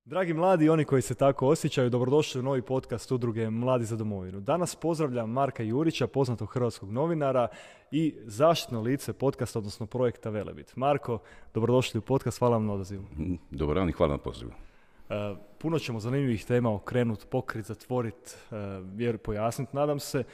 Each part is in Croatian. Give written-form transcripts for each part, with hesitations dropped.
Dragi mladi i oni koji se tako osjećaju, dobrodošli u novi podcast udruge Mladi za domovinu. Danas pozdravljam Marka Jurića, poznatog hrvatskog novinara i zaštitno lice podcasta, odnosno projekta Velebit. Marko, dobrodošli u podcast, hvala vam na odazivu. Dobar dan i hvala na pozivu. Puno ćemo zanimljivih tema okrenut, pokrit, zatvorit, pojasniti, nadam se.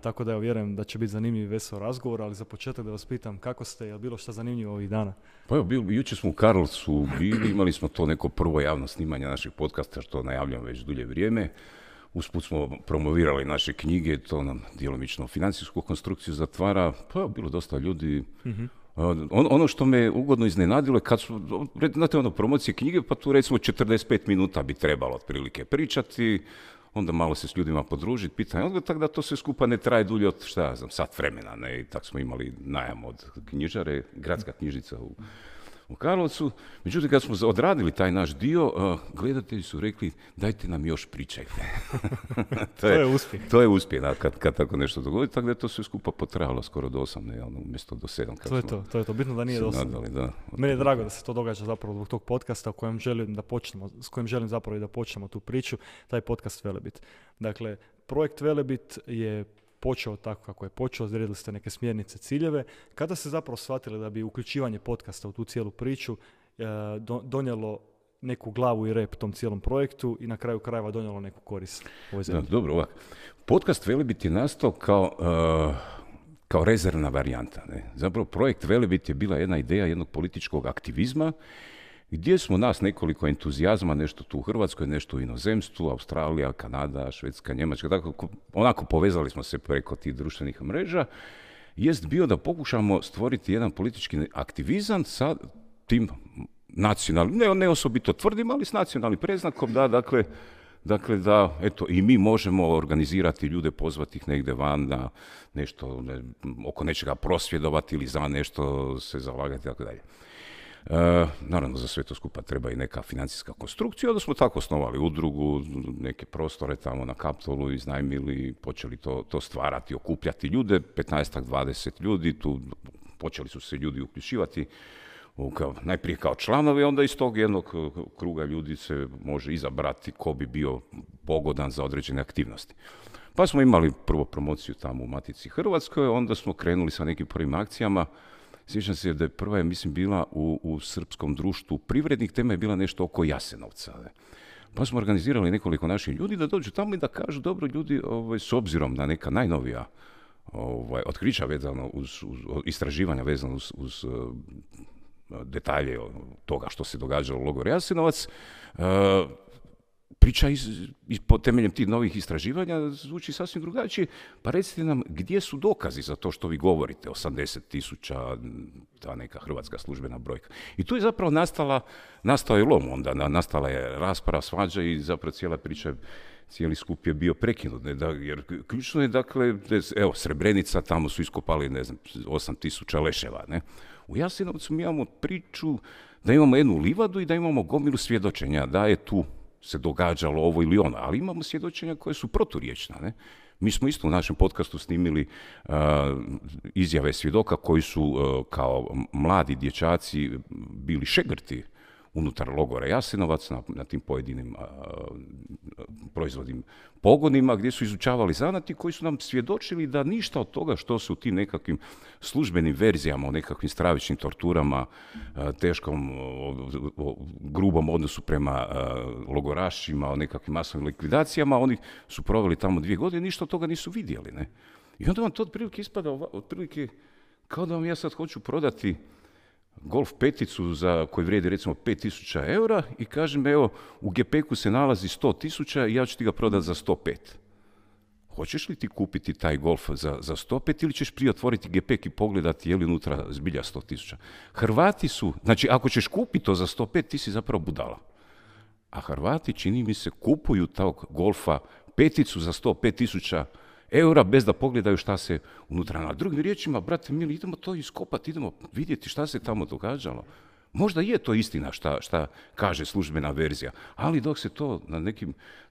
Tako da ja vjerujem da će biti zanimljiv i vesel razgovor, ali za početak da vas pitam kako ste, je li bilo šta zanimljivo ovih dana? Pa evo, jučer smo u Karlovcu bili, imali smo to neko prvo javno snimanje našeg podcasta, što najavljam već dulje vrijeme. Usput smo promovirali naše knjige, to nam djelomično financijsku konstrukciju zatvara, pa evo, bilo dosta ljudi. Ono što me ugodno iznenadilo je kad su, znate, promocije knjige, pa tu recimo 45 minuta bi trebalo otprilike pričati, onda malo se s ljudima podružiti, pitanje odgovor, tako da to sve skupa ne traje dulje od, sat vremena, ne, i tako smo imali najam od knjižare, gradska knjižnica u Karlovcu. Međutim, kad smo odradili taj naš dio, gledatelji su rekli, dajte nam još pričajte. To je uspjeh. To je uspjeh, kad tako nešto dogodi, tako da je to sve skupa potrajalo skoro do 8, ne, umjesto do 7. To je to, bitno da nije do 8. Meni je drago da se to događa zapravo zbog tog podcasta s kojim želim zapravo i da počnemo tu priču, taj podcast Velebit. Dakle, projekt Velebit je počeo tako kako je počeo, odredili ste neke smjernice, ciljeve. Kada ste zapravo shvatili da bi uključivanje podcasta u tu cijelu priču donijelo neku glavu i rep tom cijelom projektu i na kraju krajeva donijelo neku korist ovoj zemlji? Dobro, ovako. Podcast Velebit je nastao kao rezervna varijanta. Ne? Zapravo projekt Velebit je bila jedna ideja jednog političkog aktivizma gdje smo nas nekoliko entuzijazma, nešto tu u Hrvatskoj, nešto u inozemstvu, Australija, Kanada, Švedska, Njemačka, tako, onako povezali smo se preko tih društvenih mreža, jest bio da pokušamo stvoriti jedan politički aktivizam sa tim nacionalnim, ne osobito tvrdim, ali s nacionalnim predznakom, da eto, i mi možemo organizirati ljude, pozvati ih negdje van, da nešto, oko nečega prosvjedovati ili za nešto se zalagati, tako dalje. Naravno, za sve to skupa treba i neka financijska konstrukcija, onda smo tako osnovali udrugu, neke prostore tamo na Kaptolu iznajmili, počeli to stvarati, okupljati ljude, 15-20 ljudi, tu počeli su se ljudi uključivati, najprije kao članovi, onda iz tog jednog kruga ljudi se može izabrati ko bi bio pogodan za određene aktivnosti. Pa smo imali prvo promociju tamo u Matici Hrvatskoj, onda smo krenuli sa nekim prvim akcijama. Sjećam se da je prva, mislim, bila u Srpskom društvu privrednih, tema je bila nešto oko Jasenovca. Ne? Pa smo organizirali nekoliko naših ljudi da dođu tamo i da kažu, dobro ljudi, s obzirom na neka najnovija otkrića vezano uz istraživanja vezano uz detalje toga što se događalo u logoru Jasenovac, priča po temeljem tih novih istraživanja zvuči sasvim drugačije, pa recite nam gdje su dokazi za to što vi govorite, 80,000, ta neka hrvatska službena brojka. I tu je zapravo nastao je lom onda, nastala je rasprava, svađa i zapravo cijela priča, cijeli skup je bio prekinut, jer ključno je, dakle, evo, Srebrenica, tamo su iskopali, 8,000 leševa, ne. U Jasenovcu mi imamo priču da imamo jednu livadu i da imamo gomilu svjedočenja, da je tu se događalo ovo ili ono, ali imamo svjedočenja koje su proturječna. Ne? Mi smo isto u našem podcastu snimili izjave svjedoka koji su kao mladi dječaci bili šegrti unutar logora Jasenovac na tim pojedinim proizvodnim pogonima gdje su izučavali zanati koji su nam svjedočili da ništa od toga što su tim nekakvim službenim verzijama o nekakvim stravičnim torturama, teškom, grubom odnosu prema logorašima, o nekakvim masovnim likvidacijama, oni su proveli tamo 2 godine, ništa od toga nisu vidjeli. Ne? I onda vam to otprilike ispada otprilike kao da vam ja sad hoću prodati golf peticu za koji vrijedi recimo 5.000 eura i kažem, evo, u gepeku se nalazi 100.000 i ja ću ti ga prodati za 105. Hoćeš li ti kupiti taj golf za 105 ili ćeš prije otvoriti gepek i pogledati je li unutra zbilja 100.000? Hrvati su, znači ako ćeš kupiti to za 105, ti si zapravo budala. A Hrvati, čini mi se, kupuju tog golfa peticu za 105.000 eura bez da pogledaju šta se unutra. Na drugim riječima, brate mili, idemo to iskopati, idemo vidjeti šta se tamo događalo. Možda je to istina šta kaže službena verzija, ali dok se to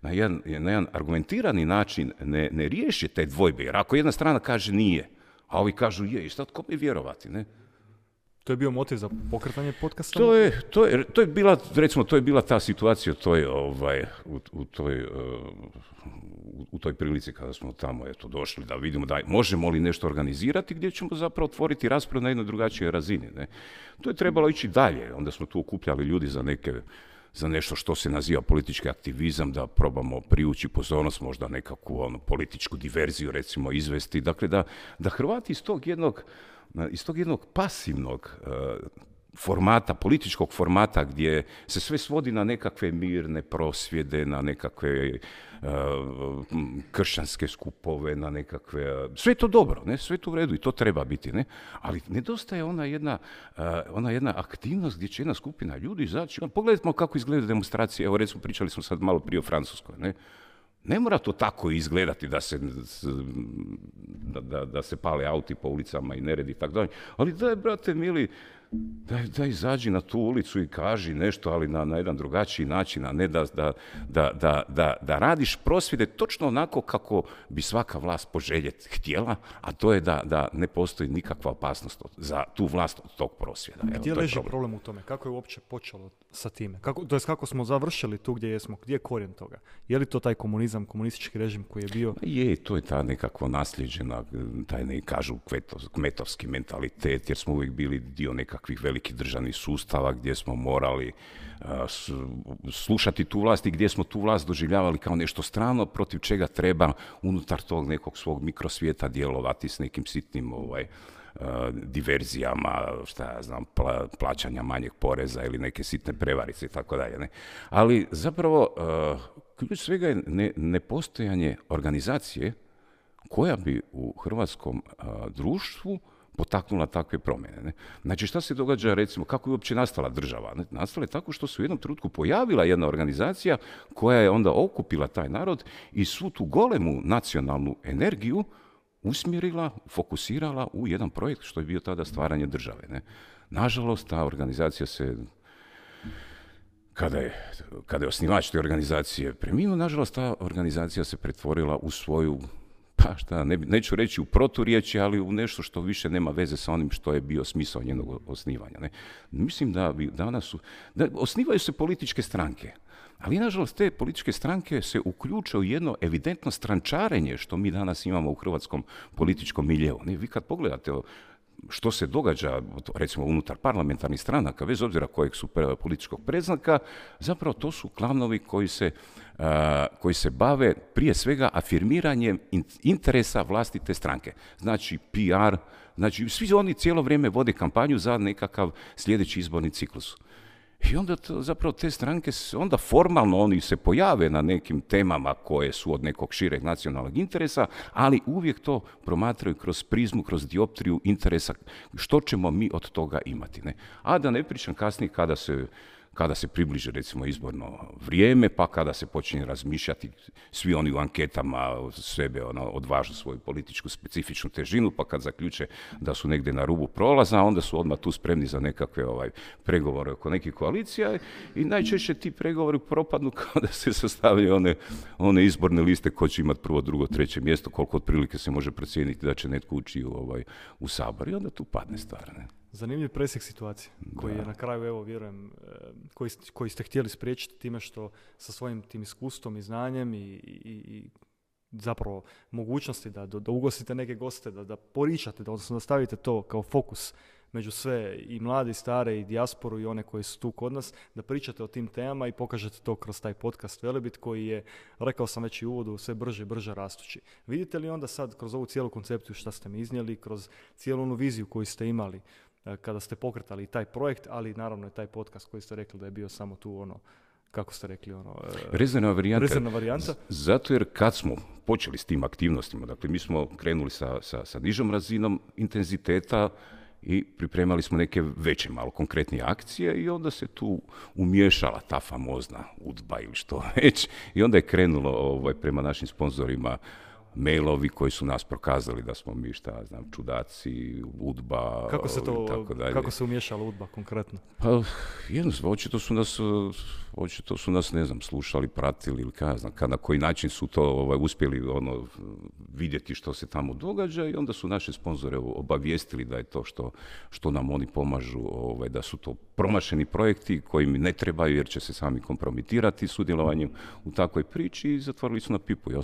na jedan argumentirani način ne riješi te dvojbe, jer ako jedna strana kaže nije, a ovi kažu je, i šta kome vjerovati, ne? To je bio motiv za pokretanje podcasta? To je bila, recimo, to je bila ta situacija u toj prilici kada smo tamo došli da vidimo da možemo li nešto organizirati gdje ćemo zapravo otvoriti raspravu na jednoj drugačijoj razini. Ne? To je trebalo ići dalje. Onda smo tu okupljali ljudi za nešto što se naziva politički aktivizam, da probamo privući pozornost, možda nekakvu političku diverziju recimo izvesti. Dakle, da Hrvati iz tog jednog pasivnog formata, političkog formata gdje se sve svodi na nekakve mirne prosvjede, na nekakve kršćanske skupove, na nekakve... Sve je to dobro, ne? Sve je to u redu i to treba biti, ne? Ali nedostaje ona jedna aktivnost gdje će jedna skupina ljudi izaći. Pogledajmo kako izgleda demonstracije. Evo recimo pričali smo sad malo prije o Francuskoj, ne? Ne mora to tako izgledati da se pale auti po ulicama i neredi i tako dalje. Ali daj, brate mili, da izađi na tu ulicu i kaži nešto, ali na jedan drugačiji način, a ne da radiš prosvjede točno onako kako bi svaka vlast poželjeti htjela, a to je da ne postoji nikakva opasnost za tu vlast od tog prosvjeda. Gdje leži problem u tome? Kako je uopće počelo sa time? Kako smo završili tu gdje jesmo? Gdje je korijen toga? Je li to taj komunizam, komunistički režim koji je bio? To je ta nekakva nasljeđena, kažu kmetovski mentalitet, jer smo uvijek bili dio nekakvih velikih državnih sustava gdje smo morali slušati tu vlast i gdje smo tu vlast doživljavali kao nešto strano protiv čega treba unutar tog nekog svog mikrosvijeta djelovati s nekim sitnim diverzijama, plaćanja manjeg poreza ili neke sitne prevarice i tako dalje. Ne? Ali zapravo ključ svega je nepostojanje organizacije koja bi u hrvatskom društvu potaknula takve promjene. Ne? Znači, šta se događa, recimo, kako je uopće nastala država? Ne? Nastala je tako što se u jednom trenutku pojavila jedna organizacija koja je onda okupila taj narod i svu tu golemu nacionalnu energiju usmjerila, fokusirala u jedan projekt što je bio tada stvaranje države. Ne? Nažalost, ta organizacija se, kada je osnivač te organizacije preminuo, nažalost, ta organizacija se pretvorila u svoju, neću reći u proturječje, ali u nešto što više nema veze sa onim što je bio smisao njenog osnivanja. Ne? Mislim da danas osnivaju se političke stranke, ali nažalost te političke stranke se uključuju u jedno evidentno strančarenje što mi danas imamo u hrvatskom političkom miljeu. Vi kad pogledate što se događa, recimo, unutar parlamentarnih stranaka, bez obzira kojeg su političkog predznaka, zapravo to su klanovi koji se bave prije svega afirmiranjem interesa vlastite stranke. Znači PR, znači svi oni cijelo vrijeme vode kampanju za nekakav sljedeći izborni ciklus. I onda zapravo te stranke, onda formalno oni se pojave na nekim temama koje su od nekog šireg nacionalnog interesa, ali uvijek to promatraju kroz prizmu, kroz dioptriju interesa, što ćemo mi od toga imati. Ne? A da ne pričam kasnije kada se približe recimo izborno vrijeme, pa kada se počinje razmišljati, svi oni u anketama sebe odvažu svoju političku specifičnu težinu, pa kad zaključe da su negdje na rubu prolaza, onda su odmah tu spremni za nekakve pregovore oko nekih koalicija i najčešće ti pregovori propadnu kao da se sastavljaju one izborne liste ko će imati prvo, drugo, treće mjesto, koliko otprilike se može procijeniti da će netko ući u Sabor i onda tu padne stvar. Ne? Zanimljiv presjek situacije koji je na kraju, evo vjerujem, koji ste htjeli spriječiti time što sa svojim tim iskustvom i znanjem i zapravo mogućnosti da ugostite neke goste, da poričate, odnosno da stavite to kao fokus među sve i mlade i stare i dijasporu i one koji su tu kod nas, da pričate o tim temama i pokažete to kroz taj podcast Velebit koji je, rekao sam već i u uvodu, sve brže i brže rastući. Vidite li onda sad kroz ovu cijelu koncepciju što ste mi iznijeli, kroz cijelu onu viziju koju ste imali kada ste pokretali taj projekt, ali naravno je taj podcast koji ste rekli da je bio samo tu kako ste rekli, rezervna varijanta. Zato jer kad smo počeli s tim aktivnostima, dakle mi smo krenuli sa nižom razinom intenziteta i pripremali smo neke veće, malo konkretnije akcije i onda se tu umiješala ta famozna UDBA ili što već i onda je krenulo prema našim sponzorima mailovi koji su nas prokazali da smo mi, šta znam, čudaci, UDBA i tako dalje. Kako se umiješala UDBA konkretno? Pa, jednostavno, očito su nas, ne znam, slušali, pratili ili na koji način su to uspjeli vidjeti što se tamo događa i onda su naše sponzore obavijestili da je to što nam oni pomažu, da su to promašeni projekti koji mi ne trebaju jer će se sami kompromitirati sudjelovanjem u takvoj priči i zatvorili su na pipu i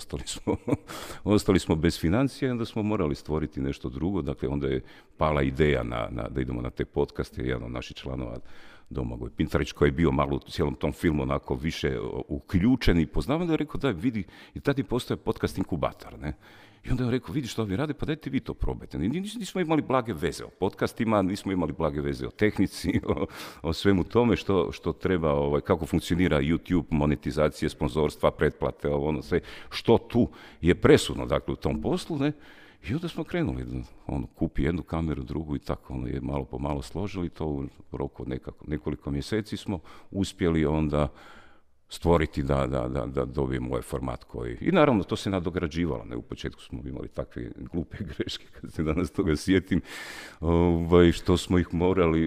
ostali smo bez financija i onda smo morali stvoriti nešto drugo. Dakle, onda je pala ideja da idemo na te podcaste. Jedan od naših članova, Domagoj Pintarić, koji je bio malo u cijelom tom filmu onako više uključen i poznavan, da je rekao da vidi, i tad je postao podcast inkubator, ne? I onda je rekao, vidi što ovdje rade, pa dajte vi to probajte. Nismo imali blage veze o podcastima, nismo imali blage veze o tehnici, o svemu tome što treba, kako funkcionira YouTube, monetizacije, sponzorstva, pretplate, sve, što tu je presudno, dakle, u tom poslu, ne? I onda smo krenuli, kupi jednu kameru, drugu i tako, je malo po malo složili to u roku od nekoliko mjeseci smo uspjeli onda stvoriti da dobijemo ovaj format koji... I naravno, to se nadograđivalo. Ne? U početku smo imali takve glupe greške, kad se danas toga sjetim, što smo ih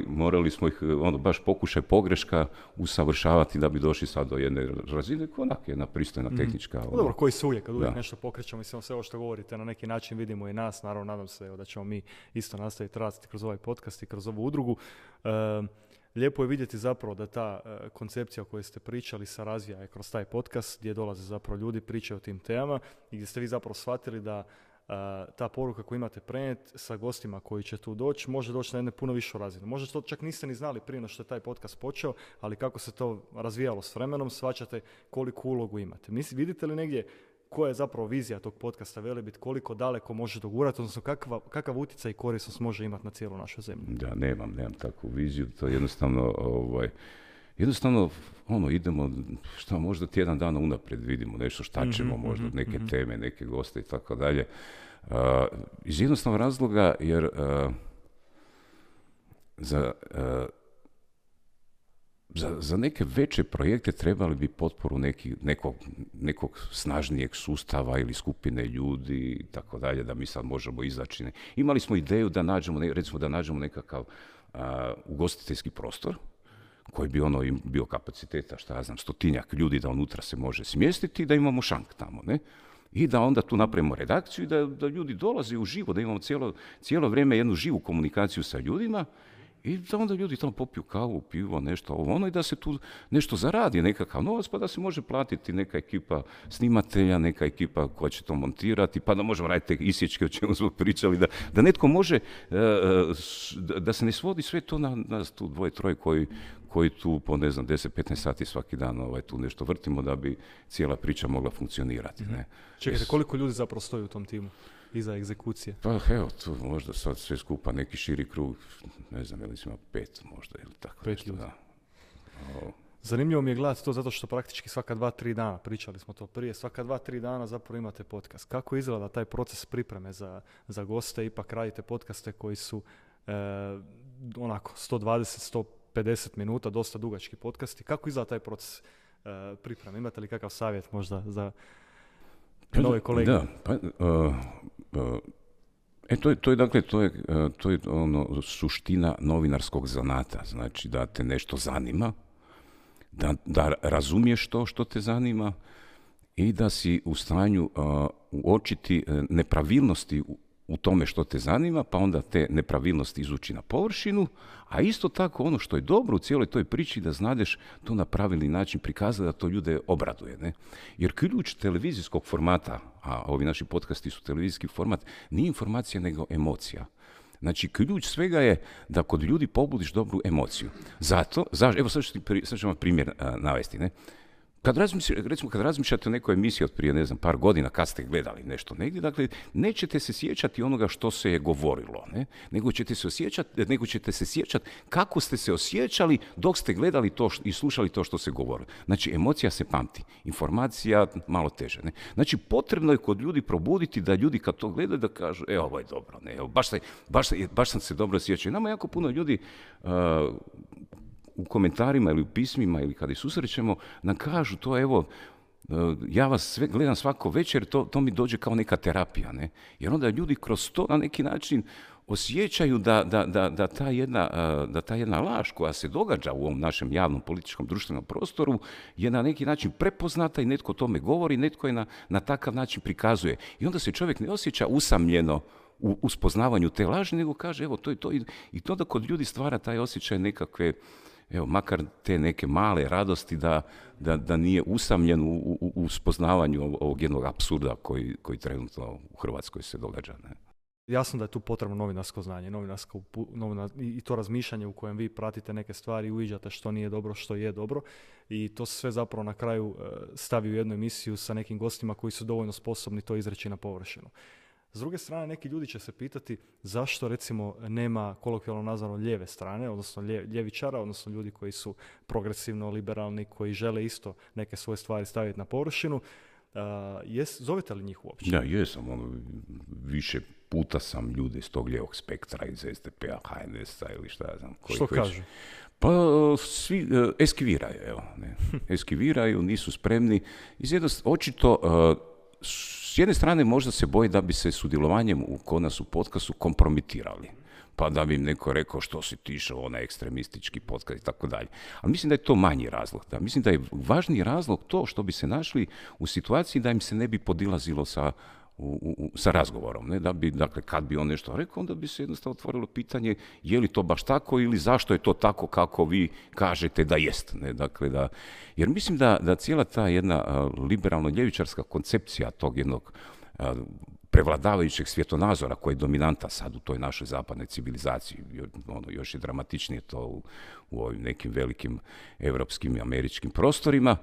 morali smo ih, baš pokušaj pogreška usavršavati da bi došli sad do jedne razine, onak jedna pristojna tehnička... Dobro, koji se uvijek, kad uvijek nešto pokrećemo, mislim, sve ovo što govorite, na neki način vidimo i nas, naravno, nadam se da ćemo mi isto nastaviti raditi kroz ovaj podcast i kroz ovu udrugu. Lijepo je vidjeti zapravo da ta koncepcija o kojoj ste pričali se razvija kroz taj podcast gdje dolaze zapravo ljudi, pričaju o tim temama i gdje ste vi zapravo shvatili da ta poruka koju imate prenijeti sa gostima koji će tu doći može doći na jednu puno višu razinu. Možda to čak niste ni znali prije no što je taj podcast počeo, ali kako se to razvijalo s vremenom, shvaćate koliku ulogu imate. Vidite li negdje koja je zapravo vizija tog podcasta Velebit, koliko daleko može dogurati, odnosno kakav utjecaj i korisnost može imati na cijelu našu zemlju? Da, nemam takvu viziju, to je jednostavno idemo, možda tjedan dana unaprijed vidimo nešto šta ćemo, možda neke teme, neke goste i tako dalje. Iz jednostavnog razloga, jer za neke veće projekte trebali bi potporu nekog snažnijeg sustava ili skupine ljudi i tako dalje, da mi sad možemo izaći. Imali smo ideju da nađemo nekakav ugostiteljski prostor koji bi bio kapaciteta, 100-tinjak ljudi da unutra se može smjestiti i da imamo šank tamo, ne? I da onda tu napravimo redakciju i da ljudi dolaze uživo, da imamo cijelo vrijeme jednu živu komunikaciju sa ljudima i da onda ljudi tamo popiju kavu, pivo, nešto i da se tu nešto zaradi, nekakav novac, pa da se može platiti neka ekipa snimatelja, neka ekipa koja će to montirati, pa da možemo raditi te isječke o čemu smo pričali, da netko može, da se ne svodi sve to na nas tu dvoje, troje koji tu po 10-15 sati svaki dan tu nešto vrtimo da bi cijela priča mogla funkcionirati. Ne? Čekajte, koliko ljudi zapravo stoji u tom timu? Iza egzekucije? Pa evo, tu možda sad sve skupa neki širi krug, ne znam, ili ima 5 možda, ili tako. 5 ljudi. Zanimljivo mi je gledati to zato što praktički svaka 2-3 dana, pričali smo to prije, svaka 2-3 dana zapravo imate podcast. Kako izgleda taj proces pripreme za goste? Ipak radite podcaste koji su 120-150 minuta, dosta dugački podcasti. Kako izgleda taj proces pripreme? Imate li kakav savjet možda za nove kolege? Da, to je suština novinarskog zanata, znači da te nešto zanima, da razumiješ to što te zanima i da si u stanju uočiti nepravilnosti u tome što te zanima, pa onda te nepravilnosti izući na površinu, a isto tako ono što je dobro u cijeloj toj priči da znadeš to na pravilni način prikazati da to ljude obraduje. Ne? Jer ključ televizijskog formata, a ovi naši podcasti su televizijski format, nije informacija nego emocija. Znači, ključ svega je da kod ljudi pobudiš dobru emociju. Evo sad ću vam primjer navesti, ne? Kad razmišljate o nekoj emisiji od prije, par godina, kad ste gledali nešto negdje, dakle, nećete se sjećati onoga što se je govorilo, ne? Nego ćete se sjećati kako ste se osjećali dok ste gledali to i slušali to što se govorilo. Znači, emocija se pamti, informacija malo teže, ne? Znači, potrebno je kod ljudi probuditi da ljudi kad to gledaju da kažu, ovo je dobro, ne? Baš sam se dobro osjećao. Nama jako puno ljudi u komentarima ili u pismima ili kada ih susrećemo nam kažu to, Ja vas sve gledam svako večer, to mi dođe kao neka terapija, ne? Jer onda ljudi kroz to na neki način osjećaju da ta jedna laž koja se događa u ovom našem javnom političkom društvenom prostoru je na neki način prepoznata i netko o tome govori, netko je na takav način prikazuje. I onda se čovjek ne osjeća usamljeno u spoznavanju te laži, nego kaže evo to je to. I to da kod ljudi stvara taj osjećaj nekakve, evo, makar te neke male radosti da nije usamljen u spoznavanju ovog jednog apsurda koji trenutno u Hrvatskoj se događa. Ne? Jasno da je tu potrebno novinarsko znanje, i to razmišljanje u kojem vi pratite neke stvari, uviđate što nije dobro, što je dobro, i to se sve zapravo na kraju stavi u jednu emisiju sa nekim gostima koji su dovoljno sposobni to izreći na površinu. S druge strane, neki ljudi će se pitati zašto, recimo, nema kolokvijalno nazvano lijeve strane, odnosno ljevičara, odnosno ljudi koji su progresivno liberalni, koji žele isto neke svoje stvari staviti na površinu. Zovete li njih uopće? Ja, jesam. Više puta sam ljude iz tog lijevog spektra, iz SDP-a, HNS-a ili šta ja znam. Što kažu? Pa svi eskiviraju, evo. Ne. Eskiviraju, nisu spremni. Očito, s jedne strane možda se boji da bi se sudjelovanjem kod nas u podcastu kompromitirali. Pa da bi im neko rekao što si ti išao onaj ekstremistički podcast i tako dalje. Ali mislim da je to manji razlog. Da. Mislim da je važniji razlog to što bi se našli u situaciji da im se ne bi podilazilo sa razgovorom. Ne? Dakle, kad bi on nešto rekao, onda bi se jednostavno otvorilo pitanje je li to baš tako ili zašto je to tako kako vi kažete da jest. Ne? Dakle, jer mislim da cijela ta jedna liberalno-ljevičarska koncepcija tog jednog prevladavajućeg svjetonazora koji je dominanta sad u toj našoj zapadnoj civilizaciji, još je dramatičnije to u ovim nekim velikim evropskim i američkim prostorima,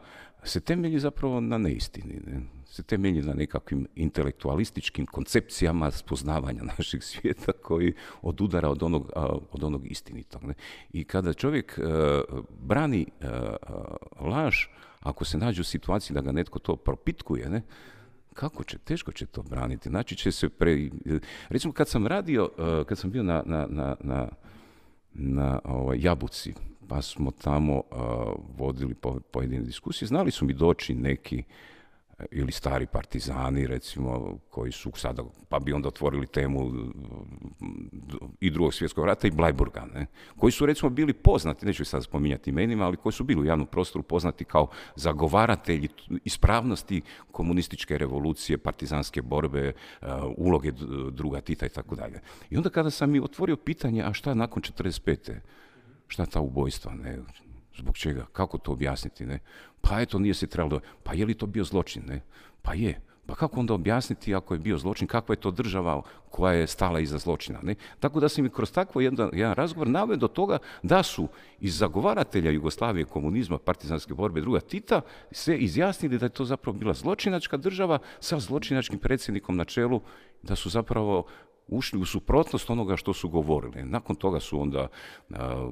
se temelji zapravo na neistini. Ne? Se temelji na nekakvim intelektualističkim koncepcijama spoznavanja našeg svijeta koji odudara od onog istinitog. Ne? I kada čovjek brani laž, ako se nađe u situaciji da ga netko to propitkuje, ne? Teško će to braniti. Znači će se recimo kad sam bio na Jabuci, pa smo tamo vodili pojedine diskusije, znali su mi doći neki ili stari partizani, recimo, koji su sada, pa bi onda otvorili temu i Drugog svjetskog rata i Bleiburga, ne? Koji su, recimo, bili poznati, neću sad spominjati imenima, ali koji su bili u javnom prostoru poznati kao zagovaratelji ispravnosti komunističke revolucije, partizanske borbe, uloge druga Tita i tako dalje. I onda kada sam mi otvorio pitanje, a šta nakon 45. Šta ta ubojstva, ne? Zbog čega? Kako to objasniti, ne? Pa eto, nije se trebalo... Pa je li to bio zločin, ne? Pa je. Pa kako onda objasniti ako je bio zločin? Kakva je to država koja je stala iza zločina, ne? Tako da sam mi kroz takvo jedan razgovor naveo do toga da su iz zagovaratelja Jugoslavije, komunizma, partizanske borbe druga Tita se izjasnili da je to zapravo bila zločinačka država sa zločinačkim predsjednikom na čelu, da su zapravo ušli u suprotnost onoga što su govorili. Nakon toga su onda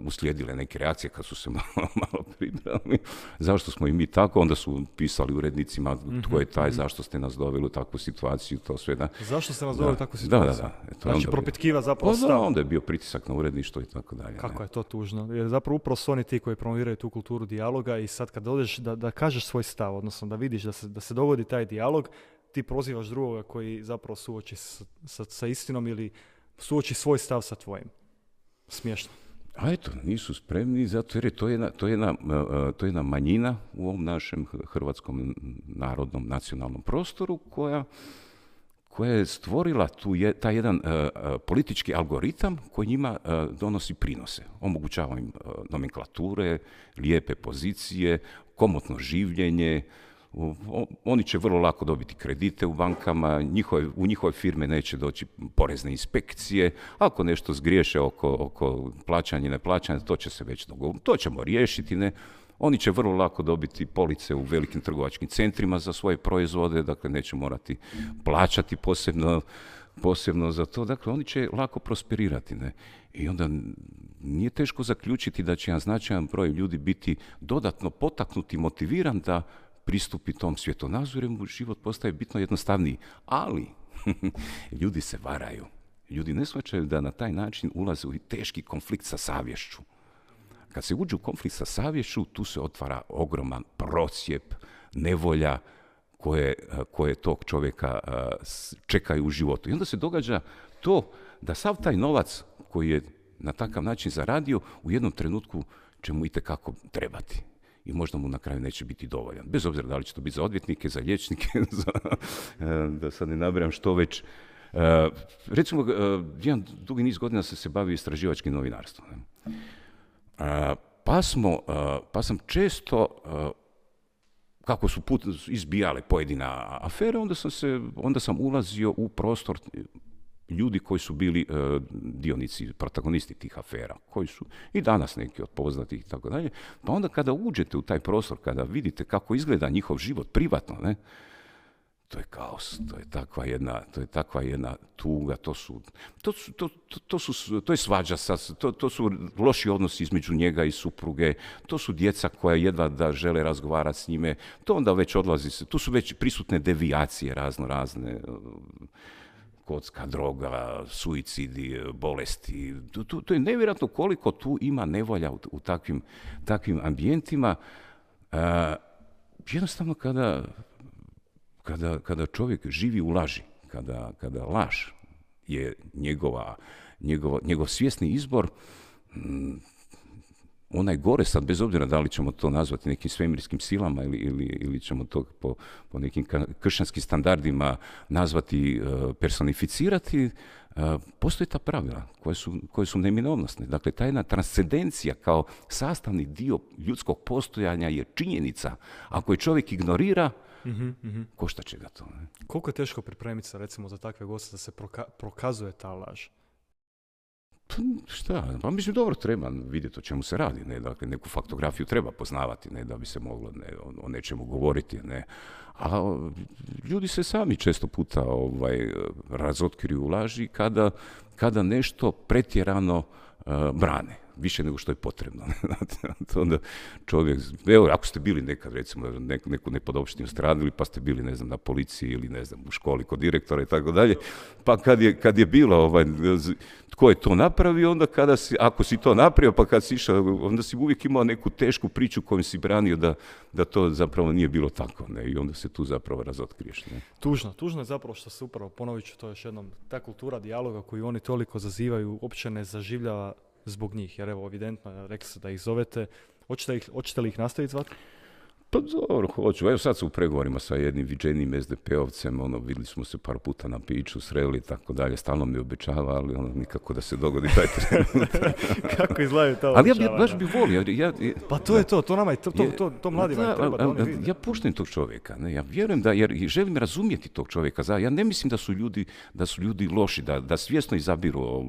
uslijedile neke reakcije kad su se malo pribrali. Zašto smo i mi tako? Onda su pisali urednicima tko je taj, zašto ste nas doveli u takvu situaciju, to sve. Da. Zašto ste nas doveli u takvu situaciju? Da. Znači propitkiva zapravo stav. Onda je bio pritisak na uredništvo i tako dalje. Kako je to tužno? Jer zapravo upravo su oni ti koji promoviraju tu kulturu dijaloga i sad kad dođeš da kažeš svoj stav, odnosno da vidiš da se dogodi taj dijalog, ti prozivaš drugoga koji zapravo suoči sa istinom ili suoči svoj stav sa tvojim. Smiješno. A eto, nisu spremni, zato jer je to je jedna manjina u ovom našem hrvatskom narodnom nacionalnom prostoru koja je stvorila taj jedan politički algoritam koji njima donosi prinose. Omogućava im nomenklature, lijepe pozicije, komotno življenje. Oni će vrlo lako dobiti kredite u bankama, u njihove firme neće doći porezne inspekcije, ako nešto zgriješe oko plaćanja i neplaćanja, to će se već dogovoriti, to ćemo riješiti, ne? Oni će vrlo lako dobiti police u velikim trgovačkim centrima za svoje proizvode, dakle neće morati plaćati posebno za to, dakle oni će lako prosperirati, ne? I onda nije teško zaključiti da će jedan značajan broj ljudi biti dodatno potaknuti i motiviran da pristupi tom svjetonazoru, mu život postaje bitno jednostavniji. Ali ljudi se varaju. Ljudi ne shvaćaju da na taj način ulaze u teški konflikt sa savješću. Kad se uđe u konflikt sa savješću, tu se otvara ogroman procjep, nevolja, koje tog čovjeka čekaju u životu. I onda se događa to da sav taj novac koji je na takav način zaradio u jednom trenutku će mu itekako trebati. I možda mu na kraju neće biti dovoljan. Bez obzira da li će to biti za odvjetnike, za liječnike, da sad ne nabrajam što već. Recimo, jedan dugi niz godina se bavio istraživačkim novinarstvom. Pa sam često, kako su izbijale pojedina afere, onda sam ulazio u prostor ljudi koji su bili dionici, protagonisti tih afera, koji su i danas neki od poznatih i tako dalje. Pa onda kada uđete u taj prostor, kada vidite kako izgleda njihov život privatno, ne, to je kaos, to je takva jedna tuga, to je svađa, to su loši odnosi između njega i supruge, to su djeca koja jedva da žele razgovarati s njime, to onda već odlazi, tu su već prisutne devijacije razne, kocka, droga, suicidi, bolesti. To je nevjerojatno koliko tu ima nevolja u takvim ambijentima. Jednostavno kada čovjek živi u laži, kada laž je njegov svjesni izbor, onaj gore sad, bez obzira da li ćemo to nazvati nekim svemirskim silama ili ćemo to po nekim kršćanskim standardima nazvati, personificirati, postoje ta pravila koje su neminovnosne. Dakle, ta jedna transcendencija kao sastavni dio ljudskog postojanja je činjenica. Ako je čovjek ignorira, košta će ga to. Ne? Koliko je teško pripremiti se recimo za takve goste da se prokazuje ta laž? Šta? Pa mislim, dobro, treba vidjeti o čemu se radi. Ne? Dakle, neku faktografiju treba poznavati, ne? Da bi se moglo o nečemu govoriti. Ne? A ljudi se sami često puta razotkriju u laži kada nešto pretjerano brane. Više nego što je potrebno. Onda čovjek, evo, ako ste bili nekad, recimo, neku nepodopštinu stradili, pa ste bili, ne znam, na policiji ili, ne znam, u školi kod direktora i tako dalje, pa kad je bilo, tko je to napravio, onda ako si to napravio, pa kad si išao, onda si uvijek imao neku tešku priču kojom si branio da to zapravo nije bilo tako, ne, i onda se tu zapravo razotkriješ. Ne. Tužno je zapravo što se upravo, ponovit ću to još jednom, ta kultura dijaloga koju oni toliko zazivaju, uopće ne zaživljava zbog njih, jer evo, evidentno, rekli ste da ih zovete. Hoćete li ih nastaviti zvati? Pa dobro, hoću. Evo sad su u pregovorima sa jednim viđenim SDP-ovcem, vidjeli smo se par puta na piću, sreli i tako dalje, stalno mi obećava, ali nikako da se dogodi taj trenutak. Kako izgledaju to obećavanja? Ali ja baš bih volio. Pa to je to nama je, to mladima treba da oni vidi. Ja poštujem tog čovjeka, ne, ja vjerujem jer želim razumjeti tog čovjeka. Ja ne mislim da su ljudi loši, da svjesno izabiru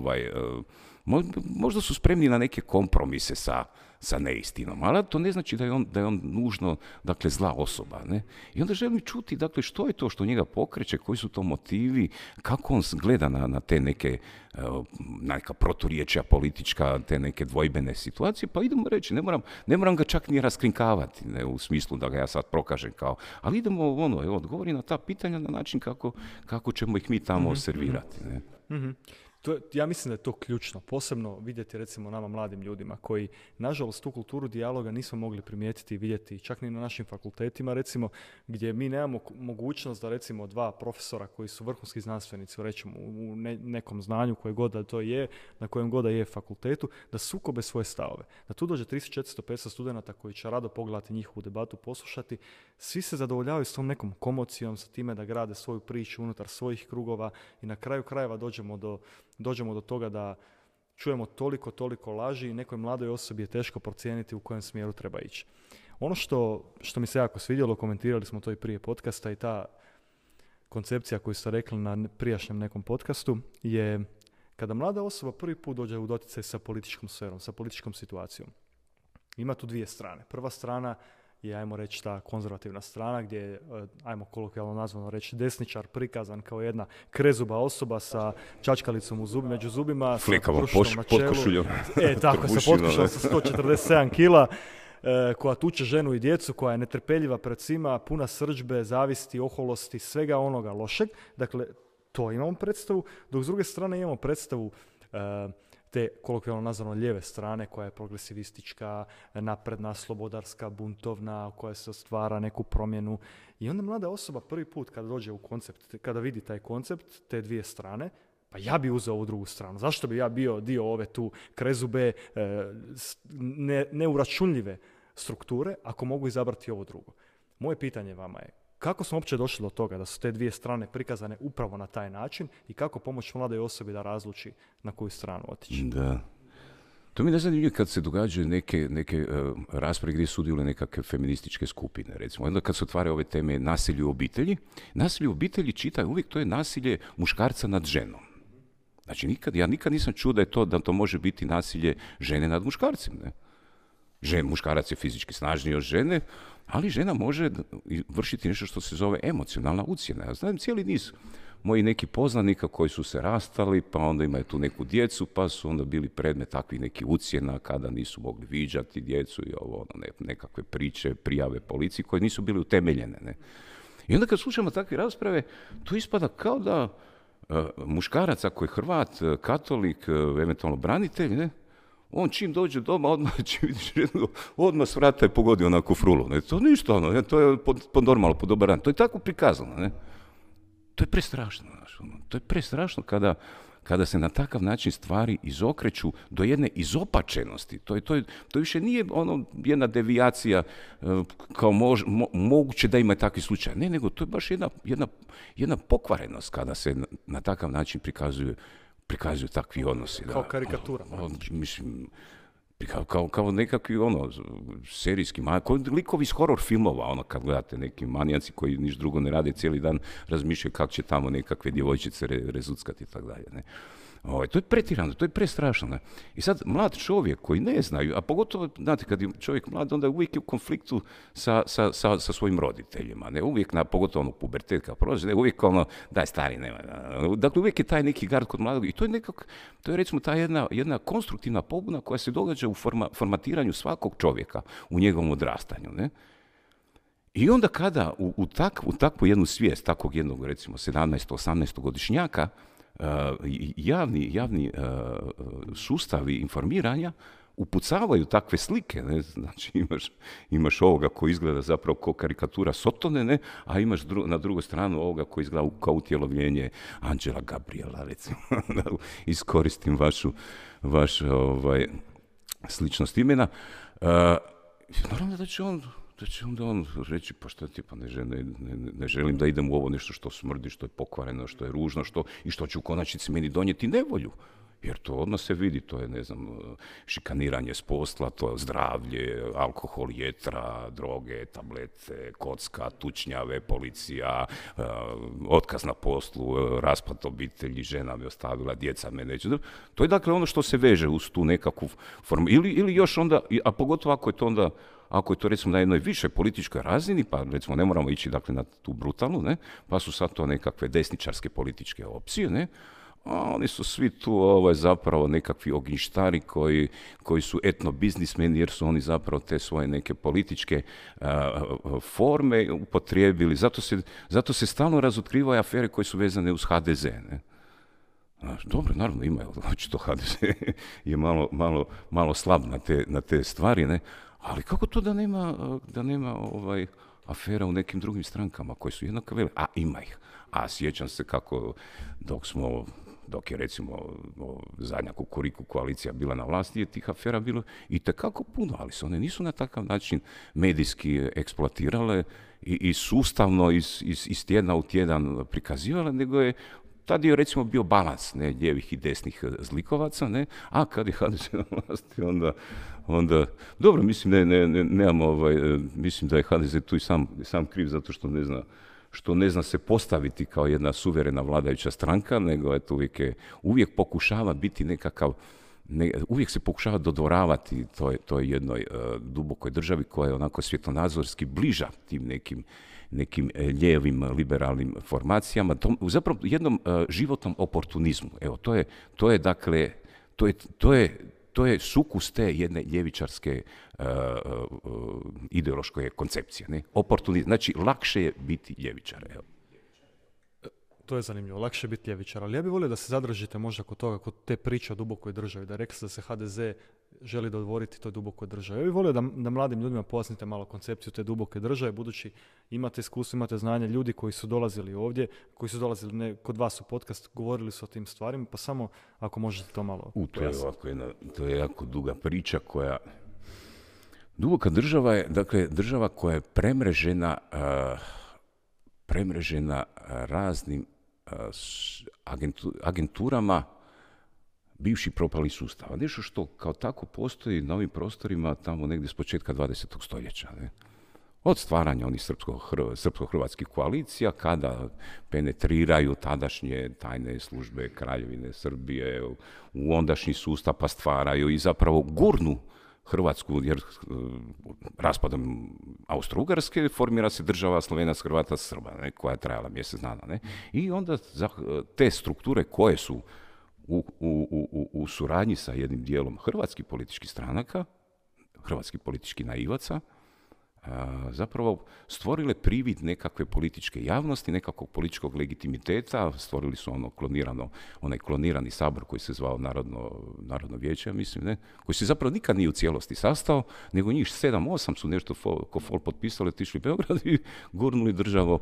možda su spremni na neke kompromise sa neistinom, ali to ne znači da je on nužno, dakle, zla osoba. Ne? I onda želim čuti, dakle, što je to što njega pokreće, koji su to motivi, kako on gleda na te neka proturječja politička, te neke dvojbene situacije, pa idemo reći, ne moram ga čak ni raskrinkavati, ne, u smislu da ga ja sad prokažem ali idemo odgovori na ta pitanja na način kako ćemo ih mi tamo servirati. Ne? Mm-hmm. Ja mislim da je to ključno, posebno vidjeti recimo nama mladim ljudima koji nažalost tu kulturu dijaloga nismo mogli primijetiti i vidjeti čak ni na našim fakultetima recimo, gdje mi nemamo mogućnost da recimo dva profesora koji su vrhunski znanstvenici recimo u nekom znanju koje god da to je, na kojem god da je fakultetu, da sukobe svoje stavove. Da tu dođe 300, 400, 500 studenata koji će rado pogledati njihovu debatu, poslušati, svi se zadovoljavaju s tom nekom komocijom, sa time da grade svoju priču unutar svojih krugova i na kraju krajeva dođemo do toga da čujemo toliko laži i nekoj mladoj osobi je teško procijeniti u kojem smjeru treba ići. Ono što mi se jako svidjelo, komentirali smo to i prije podcasta i ta koncepcija koju ste rekli na prijašnjem nekom podcastu je kada mlada osoba prvi put dođe u doticaj sa političkom sferom, sa političkom situacijom. Ima tu dvije strane. Prva strana je, ajmo reći, ta konzervativna strana gdje je, ajmo kolokvijalno nazvano reći, desničar prikazan kao jedna krezuba osoba sa čačkalicom među zubima, flikavo potkošuljom. Tako, sa potkošuljom sa 147 kila, koja tuče ženu i djecu, koja je netrpeljiva pred svima, puna srdžbe, zavisti, oholosti, svega onoga lošeg. Dakle, to imamo predstavu, dok s druge strane imamo predstavu te kolokvijalno nazvano lijeve strane koja je progresivistička, napredna, slobodarska, buntovna, koja se stvara neku promjenu. I onda mlada osoba prvi put kada dođe u koncept, kada vidi taj koncept, te dvije strane, pa ja bi uzeo ovu drugu stranu. Zašto bi ja bio dio ove tu krezube, neuračunljive strukture, ako mogu izabrati ovo drugo? Moje pitanje vama je, kako smo uopće došli do toga da su te dvije strane prikazane upravo na taj način i kako pomoći mladoj osobi da razluči na koju stranu otići? Da. To mi ne zanimljivo kad se događaju neke rasprave gdje sudjeluju nekakve feminističke skupine, recimo. Onda kad se otvara ove teme nasilje u obitelji, nasilje u obitelji čitaju uvijek to je nasilje muškarca nad ženom. Znači, ja nikad nisam čuo da to može biti nasilje žene nad muškarcem. Ne? Muškarac je fizički snažniji od žene, ali žena može vršiti nešto što se zove emocionalna ucjena. Ja znam cijeli niz moji neki poznanika koji su se rastali, pa onda imaju tu neku djecu, pa su onda bili predmet takvih nekih ucjena kada nisu mogli viđati djecu i nekakve priče, prijave policiji koje nisu bili utemeljene. Ne? I onda kad slušamo takve rasprave, to ispada kao da muškarac ako je Hrvat, katolik, eventualno branitelj, ne? On čim dođe doma, odmah s vrata je pogodio onako frulu. Ne? To ništa, to je po normalno, po dobar dan. To je tako prikazano. Ne? To je prestrašno. To je prestrašno kada se na takav način stvari izokreću do jedne izopačenosti. To više nije jedna devijacija kao moguće da ima takvi slučaj. Ne, nego to je baš jedna pokvarenost kada se na takav način prikazuju takvi odnosi. Kao karikatura. Mislim, kao nekakvi serijski, kao likovi iz horror filmova, kad gledate neki manijaci koji niš drugo ne rade, cijeli dan razmišljaju kako će tamo nekakve djevojčice rezuckati i tako dalje. Ne? To je pretirano, to je prestrašno. Ne? I sad mlad čovjek koji ne znaju, a pogotovo, znate, kad je čovjek mlad, onda uvijek je u konfliktu sa svojim roditeljima. Ne? Uvijek, pogotovo pubertet kad prođe, uvijek daj stari, nema. Dakle, uvijek je taj neki gard kod mladog i to je recimo ta jedna konstruktivna pobuna koja se događa u formatiranju svakog čovjeka u njegovom odrastanju. Ne? I onda kada u takvu jednu svijest, takvog jednog, recimo, 17-18 godišnjaka, javni sustavi informiranja upucavaju takve slike, ne? Znači imaš ovoga koji izgleda zapravo kao karikatura Sotone, ne? A imaš na drugu stranu ovoga koji izgleda kao utjelovljenje Anđela Gabriela, recimo, da iskoristim vaš sličnost imena. Naravno da će onda on reći, pa šta ti, pa ne želim da idem u ovo nešto što smrdi, što je pokvareno, što je ružno, i što će u konačnici meni donijeti nevolju. Jer to odmah se vidi, to je, šikaniranje s posla, to je zdravlje, alkohol, jetra, droge, tablete, kocka, tučnjave, policija, otkaz na poslu, raspad obitelji, žena me ostavila, djeca me neće. To je dakle ono što se veže uz tu nekakvu formu. Ili još onda, a pogotovo ako je to recimo na jednoj višoj političkoj razini, pa recimo ne moramo ići dakle na tu brutalnu, ne, pa su sad to nekakve desničarske političke opcije, ne, a oni su svi tu zapravo nekakvi ognjištari koji su etnobiznismeni jer su oni zapravo te svoje neke političke forme upotrijebili. Zato se stalno razotkrivaju afere koje su vezane uz HDZ, ne. Dobro, naravno ima, očito HDZ je malo slab na te stvari, ne. Ali kako to da nema afera u nekim drugim strankama koje su jednako velike? A ima ih. A sjećam se kako dok je recimo zadnja Kukuriku koalicija bila na vlasti, je tih afera bilo itekako puno, ali se one nisu na takav način medijski eksploatirale i sustavno iz tjedna u tjedan prikazivale, nego je tad je recimo bio balans, ne, lijevih i desnih zlikovaca, ne, a kad je HDZ na vlasti, onda dobro, mislim, mislim da je HDZ tu i sam kriv zato što ne zna se postaviti kao jedna suverena vladajuća stranka, nego uvijek pokušava biti nekakav, uvijek se pokušava dodvoravati toj jednoj dubokoj državi koja je onako svjetonazorski bliža tim nekim lijevim liberalnim formacijama, zapravo jednom životnom oportunizmu. Evo, to je sukus te jedne ljevičarske ideološke koncepcije. Ne? Oportunizam. Znači, lakše je biti ljevičar. Evo. to je zanimljivo, lakše je biti ljevičar, ali ja bih volio da se zadržite možda kod toga, kod te priče o dubokoj državi, da rekli ste da se HDZ želi dodvoriti toj dubokoj državi. Ja bih volio da mladim ljudima pojasnite malo koncepciju te duboke države, budući imate iskustvo, imate znanje, ljudi koji su dolazili ovdje, koji su dolazili kod vas u podcast, govorili su o tim stvarima, pa samo ako možete to malo pojasniti. To je jako duga priča koja... Duboka država je, dakle, država koja je premrežena raznim agenturama bivših propalih sustava. Nešto što kao tako postoji na ovim prostorima tamo negdje s početka 20. stoljeća. Ne? Od stvaranja onih srpsko-hrvatskih koalicija, kada penetriraju tadašnje tajne službe Kraljevine Srbije u ondašnji sustav, pa stvaraju i zapravo gurnu Hrvatsku, jer raspadom Austro-Ugarske formira se država Slovenac, Hrvata, Srba, ne, koja je trajala mjesec dana. Ne. I onda te strukture koje su u suradnji sa jednim dijelom hrvatskih političkih stranaka, hrvatskih političkih naivaca, zapravo stvorile privid nekakve političke javnosti, nekakvog političkog legitimiteta, stvorili su onaj klonirani sabor koji se zvao Narodno vijeće, mislim, ne, koji se zapravo nikad nije u cijelosti sastao, nego njih 7-8 su nešto ko fol potpisali, otišli u Beograd i gurnuli državu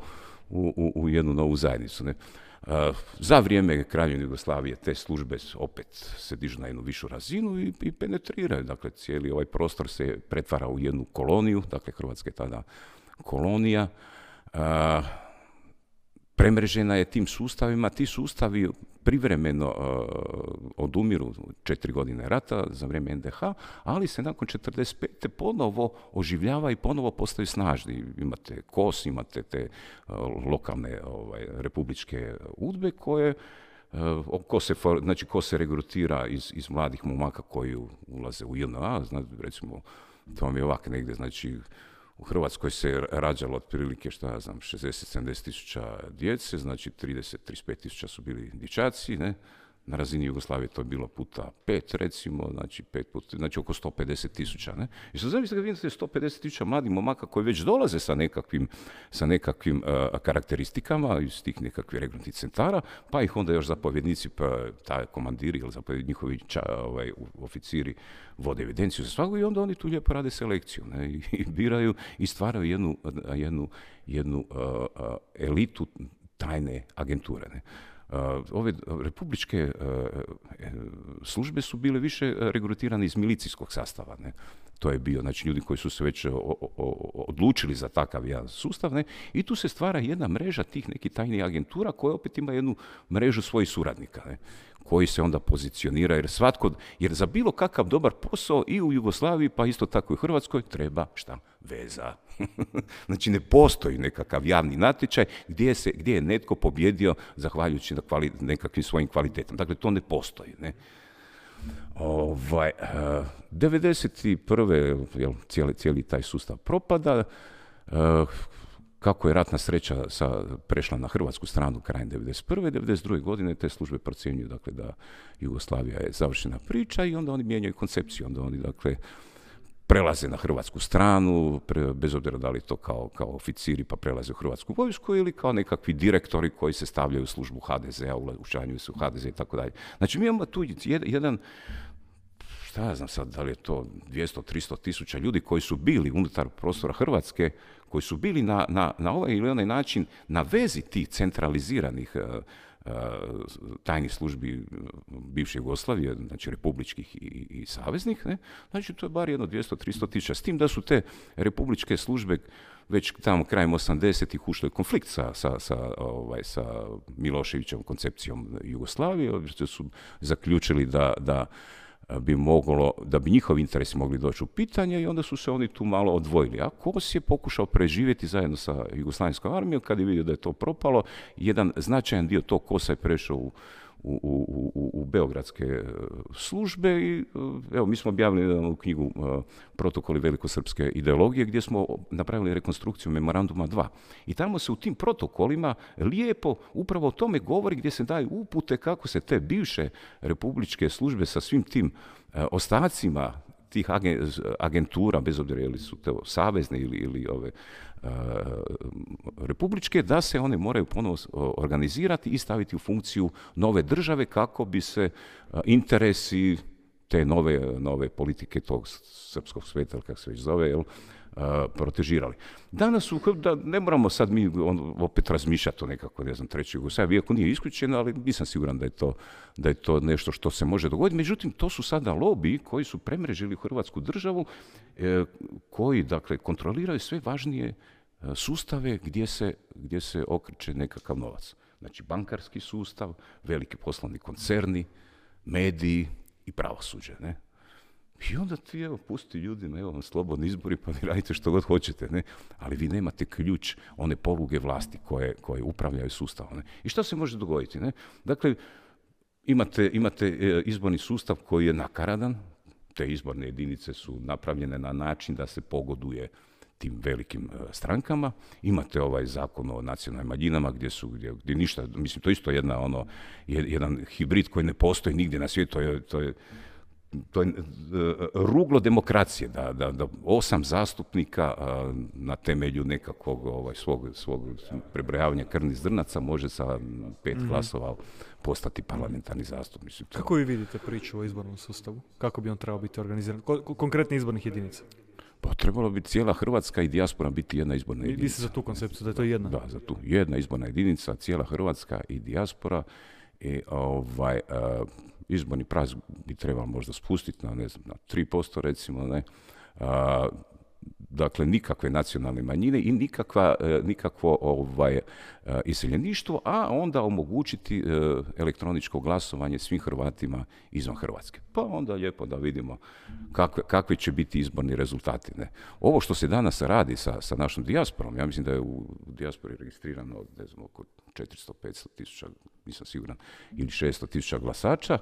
u jednu novu zajednicu. Ne. Za vrijeme Kraljevine Jugoslavije te službe opet se dižu na jednu višu razinu i penetriraju. Dakle, cijeli ovaj prostor se pretvara u jednu koloniju, dakle, Hrvatska je tada kolonija. Premrežena je tim sustavima, ti sustavi privremeno odumiru 4 godine rata za vrijeme NDH, ali se nakon 45. ponovo oživljava i ponovo postaju snažni. Imate KOS, imate te lokalne republičke udbe koje ko se regrutira iz mladih momaka koji ulaze u JNA, recimo, to vam je ovak negdje, znači, u Hrvatskoj se rađalo otprilike, 60-70 tisuća djece, znači 30-35 tisuća su bili dječaci, ne? Na razini Jugoslavije to je bilo puta 5, recimo, znači oko 150 tisuća. Ne? I sad zamislite kad vidite 150 tisuća mladih momaka koji već dolaze sa nekakvim karakteristikama iz tih nekakvih regrutnih centara, pa ih onda još zapovjednici, pa taj komandiri ili njihovi oficiri vode evidenciju za svakog i onda oni tu lijepo rade selekciju, ne? I biraju i stvaraju jednu elitu tajne agenture. Ne? Ove republičke službe su bile više regrutirane iz milicijskog sastava. Ne? To je bio, znači, ljudi koji su se već odlučili za takav jedan sustav, ne? I tu se stvara jedna mreža tih nekih tajnih agentura koja opet ima jednu mrežu svojih suradnika, ne? Koji se onda pozicionira, jer za bilo kakav dobar posao i u Jugoslaviji, pa isto tako i u Hrvatskoj, treba šta? Veza. Znači, ne postoji nekakav javni natječaj gdje je netko pobjedio zahvaljujući nekakvim svojim kvalitetom. Dakle, to ne postoji. Ne? 91. cijeli taj sustav propada. Kako je ratna sreća prešla na hrvatsku stranu krajem 91. 92. godine te službe procjenjuju, dakle, da Jugoslavija je završena priča i onda oni mijenjaju koncepciju. Onda oni, dakle, prelaze na hrvatsku stranu, bez obzira da li to kao oficiri pa prelaze u hrvatsku vojsku ili kao nekakvi direktori koji se stavljaju u službu HDZ-a, učlanjuju se u HDZ i tako dalje. Znači, mi imamo tu jedan, šta ja znam sad, da li je to 200-300 tisuća ljudi koji su bili unutar prostora Hrvatske, koji su bili na ovaj ili onaj način na vezi tih centraliziranih tajnih službi bivše Jugoslavije, znači republičkih i saveznih, ne? Znači to je bar jedno 200-300 tisuća. S tim da su te republičke službe već tamo krajem 80-ih ušle u konflikt sa Miloševićevom koncepcijom Jugoslavije, što su zaključili da bi njihovi interesi mogli doći u pitanje i onda su se oni tu malo odvojili. A KOS je pokušao preživjeti zajedno sa Jugoslavenskom armijom, kad je vidio da je to propalo, jedan značajan dio tog KOS-a je prešao u beogradske službe i evo, mi smo objavili jednu knjigu Protokoli velikosrpske ideologije gdje smo napravili rekonstrukciju Memoranduma 2. I tamo se u tim protokolima lijepo upravo o tome govori, gdje se daju upute kako se te bivše republičke službe sa svim tim ostacima tih agentura, bez obzira ili su to savezne ili ove republičke, da se one moraju ponovo organizirati i staviti u funkciju nove države kako bi se interesi te nove politike tog srpskog sveta, kako se već zove, protežirali. Danas da ne moramo sad mi opet razmišljati o nekako, ne znam, trećoj Jugoslaviji, iako nije isključeno, ali nisam siguran da je to nešto što se može dogoditi. Međutim, to su sada lobiji koji su premrežili Hrvatsku državu, koji, dakle, kontroliraju sve važnije sustave gdje se okreće nekakav novac. Znači, bankarski sustav, veliki poslovni koncerni, mediji i pravosuđe, ne? I onda ti, evo, pusti ljudima, evo vam slobodni izbori, pa vi radite što god hoćete, ne? Ali vi nemate ključ, one poluge vlasti koje upravljaju sustavom, ne? I što se može dogoditi, ne? Dakle, imate izborni sustav koji je nakaradan, te izborne jedinice su napravljene na način da se pogoduje tim velikim strankama. Imate ovaj zakon o nacionalnim manjinama gdje ništa, mislim, to je isto jedan hibrid koji ne postoji nigdje na svijetu, to je ruglo demokracije, da 8 zastupnika na temelju nekakvog svog prebrojavanja krvnih zrnaca može sa 5 glasova postati parlamentarni zastupnik. Kako vi vidite priču o izbornom sustavu? Kako bi on trebao biti organiziran? Konkretni izbornih jedinica? Pa trebalo bi cijela Hrvatska i dijaspora biti jedna izborna jedinica. Vi ste za tu koncepciju, da je to jedna? Da, za tu. Jedna izborna jedinica, cijela Hrvatska i dijaspora. I izborni prag bi trebalo možda spustiti na 3%, recimo, ne. Dakle, nikakve nacionalne manjine i nikakvo iseljeništvo, a onda omogućiti elektroničko glasovanje svim Hrvatima izvan Hrvatske. Pa onda lijepo da vidimo kakvi će biti izborni rezultati, ne. Ovo što se danas radi sa našom dijasporom, ja mislim da je u dijaspori registrirano, ne znam, oko 400-500 tisuća, nisam siguran, ili 600 tisuća glasača.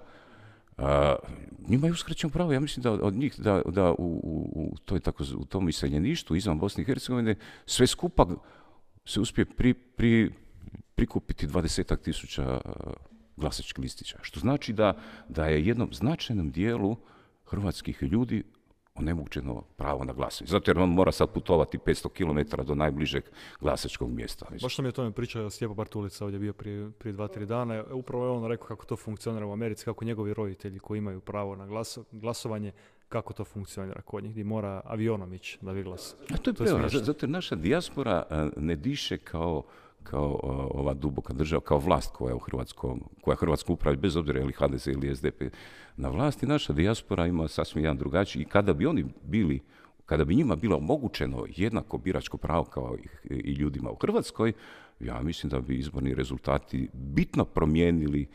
Njima je uskraćeno pravo, ja mislim da od njih da u tom iseljeništvu izvan Bosne i Hercegovine sve skupa se uspije prikupiti 20 tisuća glasačkih listića, što znači da je jednom značajnom dijelu hrvatskih ljudi onemogućeno pravo na glasanje. Zato jer on mora sad putovati 500 km do najbližeg glasačkog mjesta. Baš nam je o tome pričao Stjepo Bartulica, ovdje bio prije 2-3 dana. Upravo je on rekao kako to funkcionira u Americi, kako njegovi roditelji koji imaju pravo na glasovanje, kako to funkcionira kod njih, gdje mora avionom ići da vi glasa. A to je prevara, zato jer naša dijaspora ne diše kao ova duboka država, kao vlast koja Hrvatsku upravi, bez obzira ili HDZ ili SDP na vlasti. Naša dijaspora ima sasvim jedan drugačiji i kada bi njima bilo omogućeno jednako biračko pravo kao i ljudima u Hrvatskoj, ja mislim da bi izborni rezultati bitno promijenili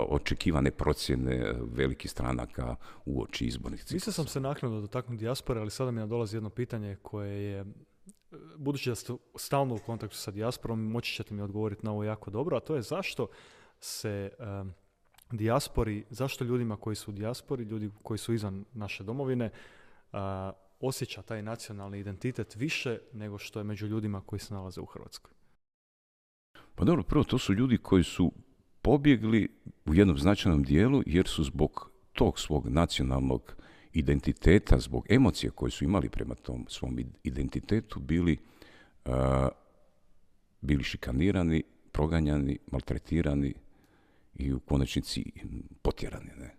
očekivane procjene velikih stranaka uoči izbornih ciklusa. Mislio sam se naknadno dotaknuti dijaspore, ali sada mi nadolazi jedno pitanje koje je, budući da ste stalno u kontaktu sa dijasporom, moći ćete mi odgovoriti na ovo jako dobro, a to je zašto se zašto ljudima koji su u dijaspori, ljudi koji su izvan naše domovine, osjeća taj nacionalni identitet više nego što je među ljudima koji se nalaze u Hrvatskoj? Pa dobro, prvo, to su ljudi koji su pobjegli u jednom značajnom dijelu jer su zbog tog svog nacionalnog identiteta, zbog emocije koje su imali prema tom svom identitetu, bili šikanirani, proganjani, maltretirani i u konačnici potjerani, ne.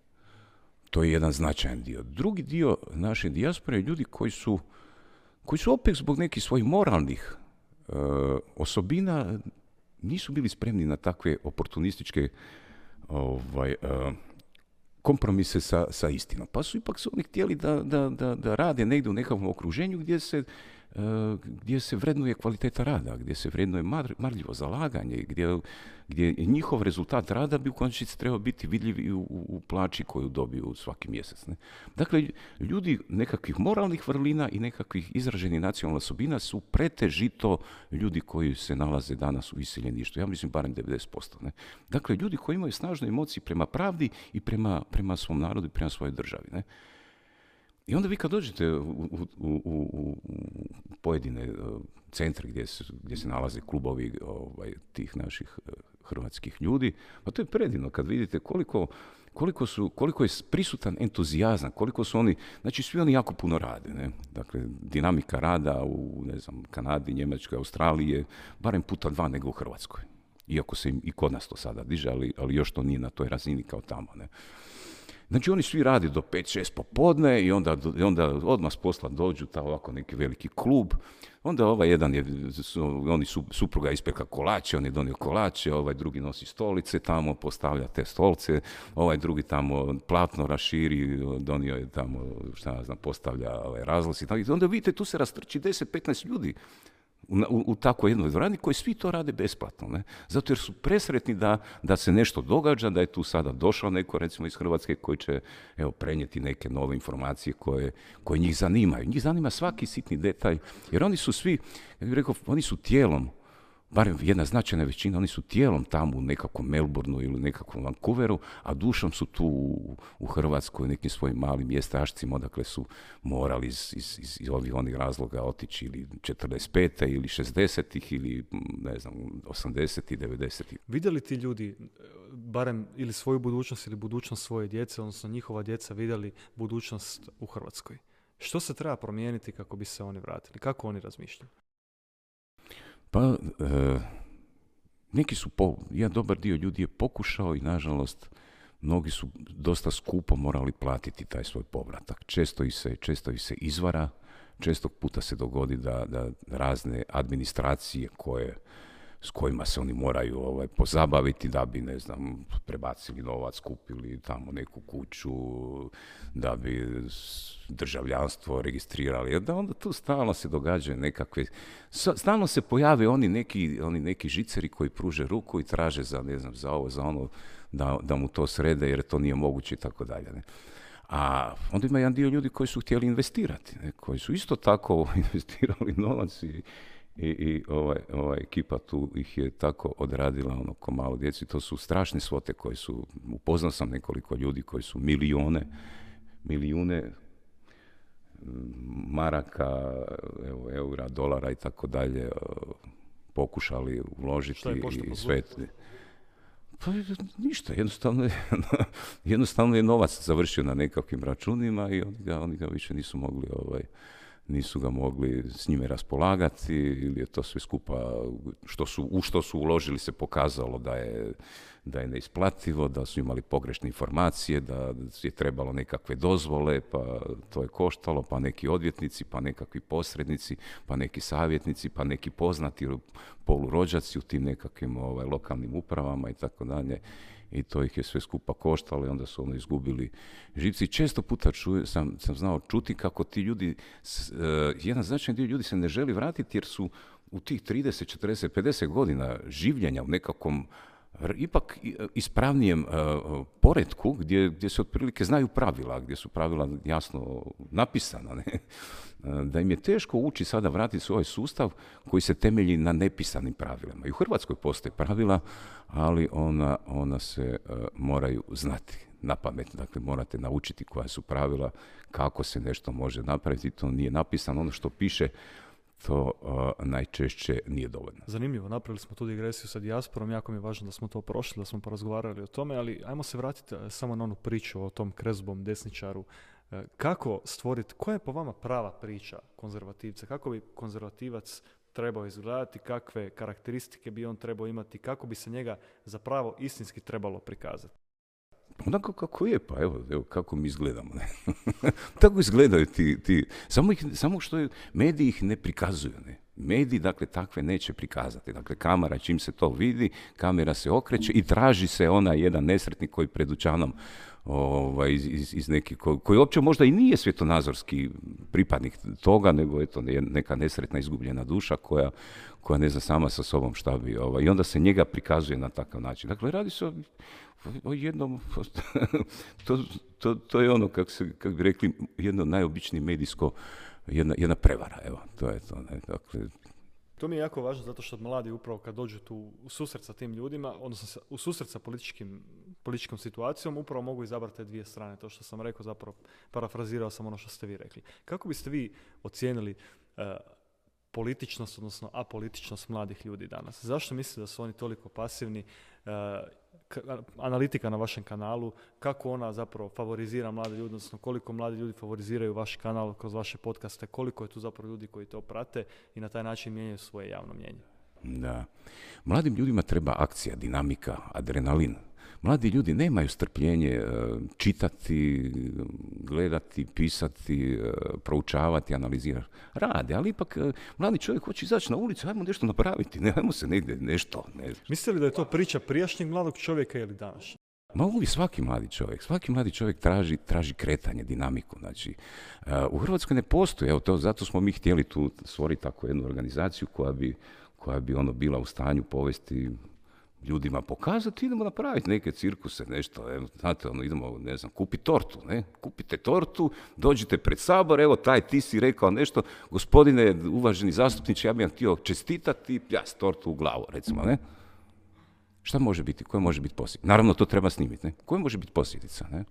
To je jedan značajan dio. Drugi dio naše dijaspore je ljudi koji su opet zbog nekih svojih moralnih osobina nisu bili spremni na takve oportunističke kompromise sa istinom. Pa su ipak oni htjeli da rade negdje u nekakvom okruženju gdje se vrednuje kvaliteta rada, gdje se vrednuje marljivo zalaganje, gdje njihov rezultat rada bi u konačnici trebao biti vidljiv i u plaći koju dobiju svaki mjesec, ne? Dakle, ljudi nekakvih moralnih vrlina i nekakvih izraženih nacionalnih osobina su pretežito ljudi koji se nalaze danas u iseljeništvu. Ja mislim barem 90%. Ne? Dakle, ljudi koji imaju snažne emocije prema pravdi i prema svom narodu i prema svojoj državi. Ne? I onda vi kad dođete u pojedine centri gdje se nalaze klubovi tih naših hrvatskih ljudi. Pa to je predivno kad vidite koliko je prisutan entuzijazam, koliko su oni, znači svi oni jako puno rade. Ne? Dakle, dinamika rada u, ne znam, Kanadi, Njemačkoj, Australiji je barem puta 2 nego u Hrvatskoj. Iako se im i kod nas to sada diže, ali još to nije na toj razini kao tamo. Ne? Znači oni svi rade do 5-6 popodne i onda odmah s posla dođu ovako neki veliki klub. Onda jedan supruga ispekla kolače, on je donio kolače, drugi nosi stolice tamo, postavlja te stolce, drugi tamo platno raširi, donio je tamo, postavlja razglasi. I onda vidite, tu se rastrči 10-15 ljudi u takvoj jednoj dvorani koji svi to rade besplatno. Ne? Zato jer su presretni da se nešto događa, da je tu sada došao neko recimo iz Hrvatske koji će prenijeti neke nove informacije koje njih zanimaju. Njih zanima svaki sitni detalj, jer oni su svi, ja bih rekao, oni su tijelom, barem jedna značajna većina, oni su tijelom tamo u nekakvom Melbourneu ili nekakvom Vancouveru, a dušom su tu u Hrvatskoj, nekim svojim malim mjestašcima, odakle su morali iz ovih onih razloga otići ili 45. ili 60. ili ne znam, 80. i 90. Vidjeli ti ljudi barem ili svoju budućnost ili budućnost svoje djece, odnosno njihova djeca vidjeli budućnost u Hrvatskoj? Što se treba promijeniti kako bi se oni vratili? Kako oni razmišljaju? Pa, jedan dobar dio ljudi je pokušao i nažalost mnogi su dosta skupo morali platiti taj svoj povratak. Često ih se izvara, često puta se dogodi da razne administracije s kojima se oni moraju pozabaviti da bi, ne znam, prebacili novac, kupili tamo neku kuću, da bi državljanstvo registrirali. Da onda tu stalno se događaju nekakve, stalno se pojave oni neki žiceri koji pruže ruku i traže za, ne znam, za ovo, za ono, da mu to srede jer to nije moguće i tako dalje. Ne? A onda ima jedan dio ljudi koji su htjeli investirati, ne? Koji su isto tako investirali novac i ova ekipa tu ih je tako odradila ko malo djeci. To su strašne svote koje su, upoznao sam nekoliko ljudi koji su milijune maraka, eura, dolara i tako dalje pokušali uložiti. Šta je i sve. Pa ništa, jednostavno je novac završio na nekakvim računima i oni ga više nisu ga mogli s njime raspolagati ili je to sve skupa u što su uložili se pokazalo da je neisplativo, da su imali pogrešne informacije, da je trebalo nekakve dozvole, pa to je koštalo, pa neki odvjetnici, pa nekakvi posrednici, pa neki savjetnici, pa neki poznati polurođaci u tim nekakvim lokalnim upravama i tako dalje. I to ih je sve skupa koštalo i onda su izgubili živci. Često puta sam znao čuti kako ti ljudi, jedan značajan dio ljudi se ne želi vratiti jer su u tih 30, 40, 50 godina življenja u nekakvom ipak ispravnijem poretku gdje se otprilike znaju pravila, gdje su pravila jasno napisana, ne? Da im je teško ući sada vratiti svoj sustav koji se temelji na nepisanim pravilima. I u Hrvatskoj postoje pravila, ali ona se moraju znati na pamet. Dakle, morate naučiti koja su pravila, kako se nešto može napraviti. To nije napisano. Ono što piše, to najčešće nije dovoljno. Zanimljivo, napravili smo tu digresiju sa dijasporom, jako mi je važno da smo to prošli, da smo porazgovarali o tome, ali ajmo se vratiti samo na onu priču o tom krezubom desničaru. Kako stvoriti, koja je po vama prava priča konzervativca? Kako bi konzervativac trebao izgledati, kakve karakteristike bi on trebao imati, kako bi se njega zapravo istinski trebalo prikazati? Onako kako je, pa evo kako mi izgledamo. Ne? Tako izgledaju ti samo što mediji ih ne prikazuju. Ne? Mediji, dakle, takve neće prikazati. Dakle, kamera, čim se to vidi, kamera se okreće i traži se onaj jedan nesretnik koji pred dućanom iz neki, koji uopće možda i nije svjetonazorski pripadnik toga, nego eto neka nesretna izgubljena duša koja ne zna sama sa sobom šta bi. I onda se njega prikazuje na takav način. Dakle, radi se o jednom, to je ono, kako bi rekli, jedno najobičnije medijsko, jedna prevara, evo, to je to. Ne? Dakle, to mi je jako važno zato što mladi upravo kad dođu tu u susret sa tim ljudima, odnosno u susret sa političkom situacijom, upravo mogu izabrati te dvije strane. To što sam rekao, zapravo parafrazirao sam ono što ste vi rekli. Kako biste vi ocijenili političnost, odnosno apolitičnost mladih ljudi danas? Zašto mislite da su oni toliko pasivni? Analitika na vašem kanalu, kako ona zapravo favorizira mlade ljudi, odnosno koliko mladi ljudi favoriziraju vaš kanal kroz vaše podcaste, koliko je tu zapravo ljudi koji to prate i na taj način mijenjaju svoje javno mnijenje? Da. Mladim ljudima treba akcija, dinamika, adrenalin. Mladi ljudi nemaju strpljenje čitati, gledati, pisati, proučavati, analizirati. Rade, ali ipak mladi čovjek hoće izaći na ulicu, ajmo nešto napraviti, ne, ajmo se negdje nešto. Ne. Mislite li da je to priča prijašnjeg mladog čovjeka ili današnjeg? Ma uvijek svaki mladi čovjek traži kretanje, dinamiku. Znači, u Hrvatskoj ne postoji, evo to, zato smo mi htjeli tu stvoriti tako jednu organizaciju koja bi bila u stanju povesti ljudima, pokazati, idemo napraviti neke cirkuse, nešto, evo, znate, idemo, ne znam, kupiti tortu, ne? Kupite tortu, dođite pred Sabor, evo, ti si rekao nešto, gospodine, uvaženi zastupniče, ja bih vam htio čestitati, s tortu u glavu, recimo, ne? Šta može biti, koje može biti posljedica? Naravno, to treba snimiti, ne? Koje može biti posljedica, ne?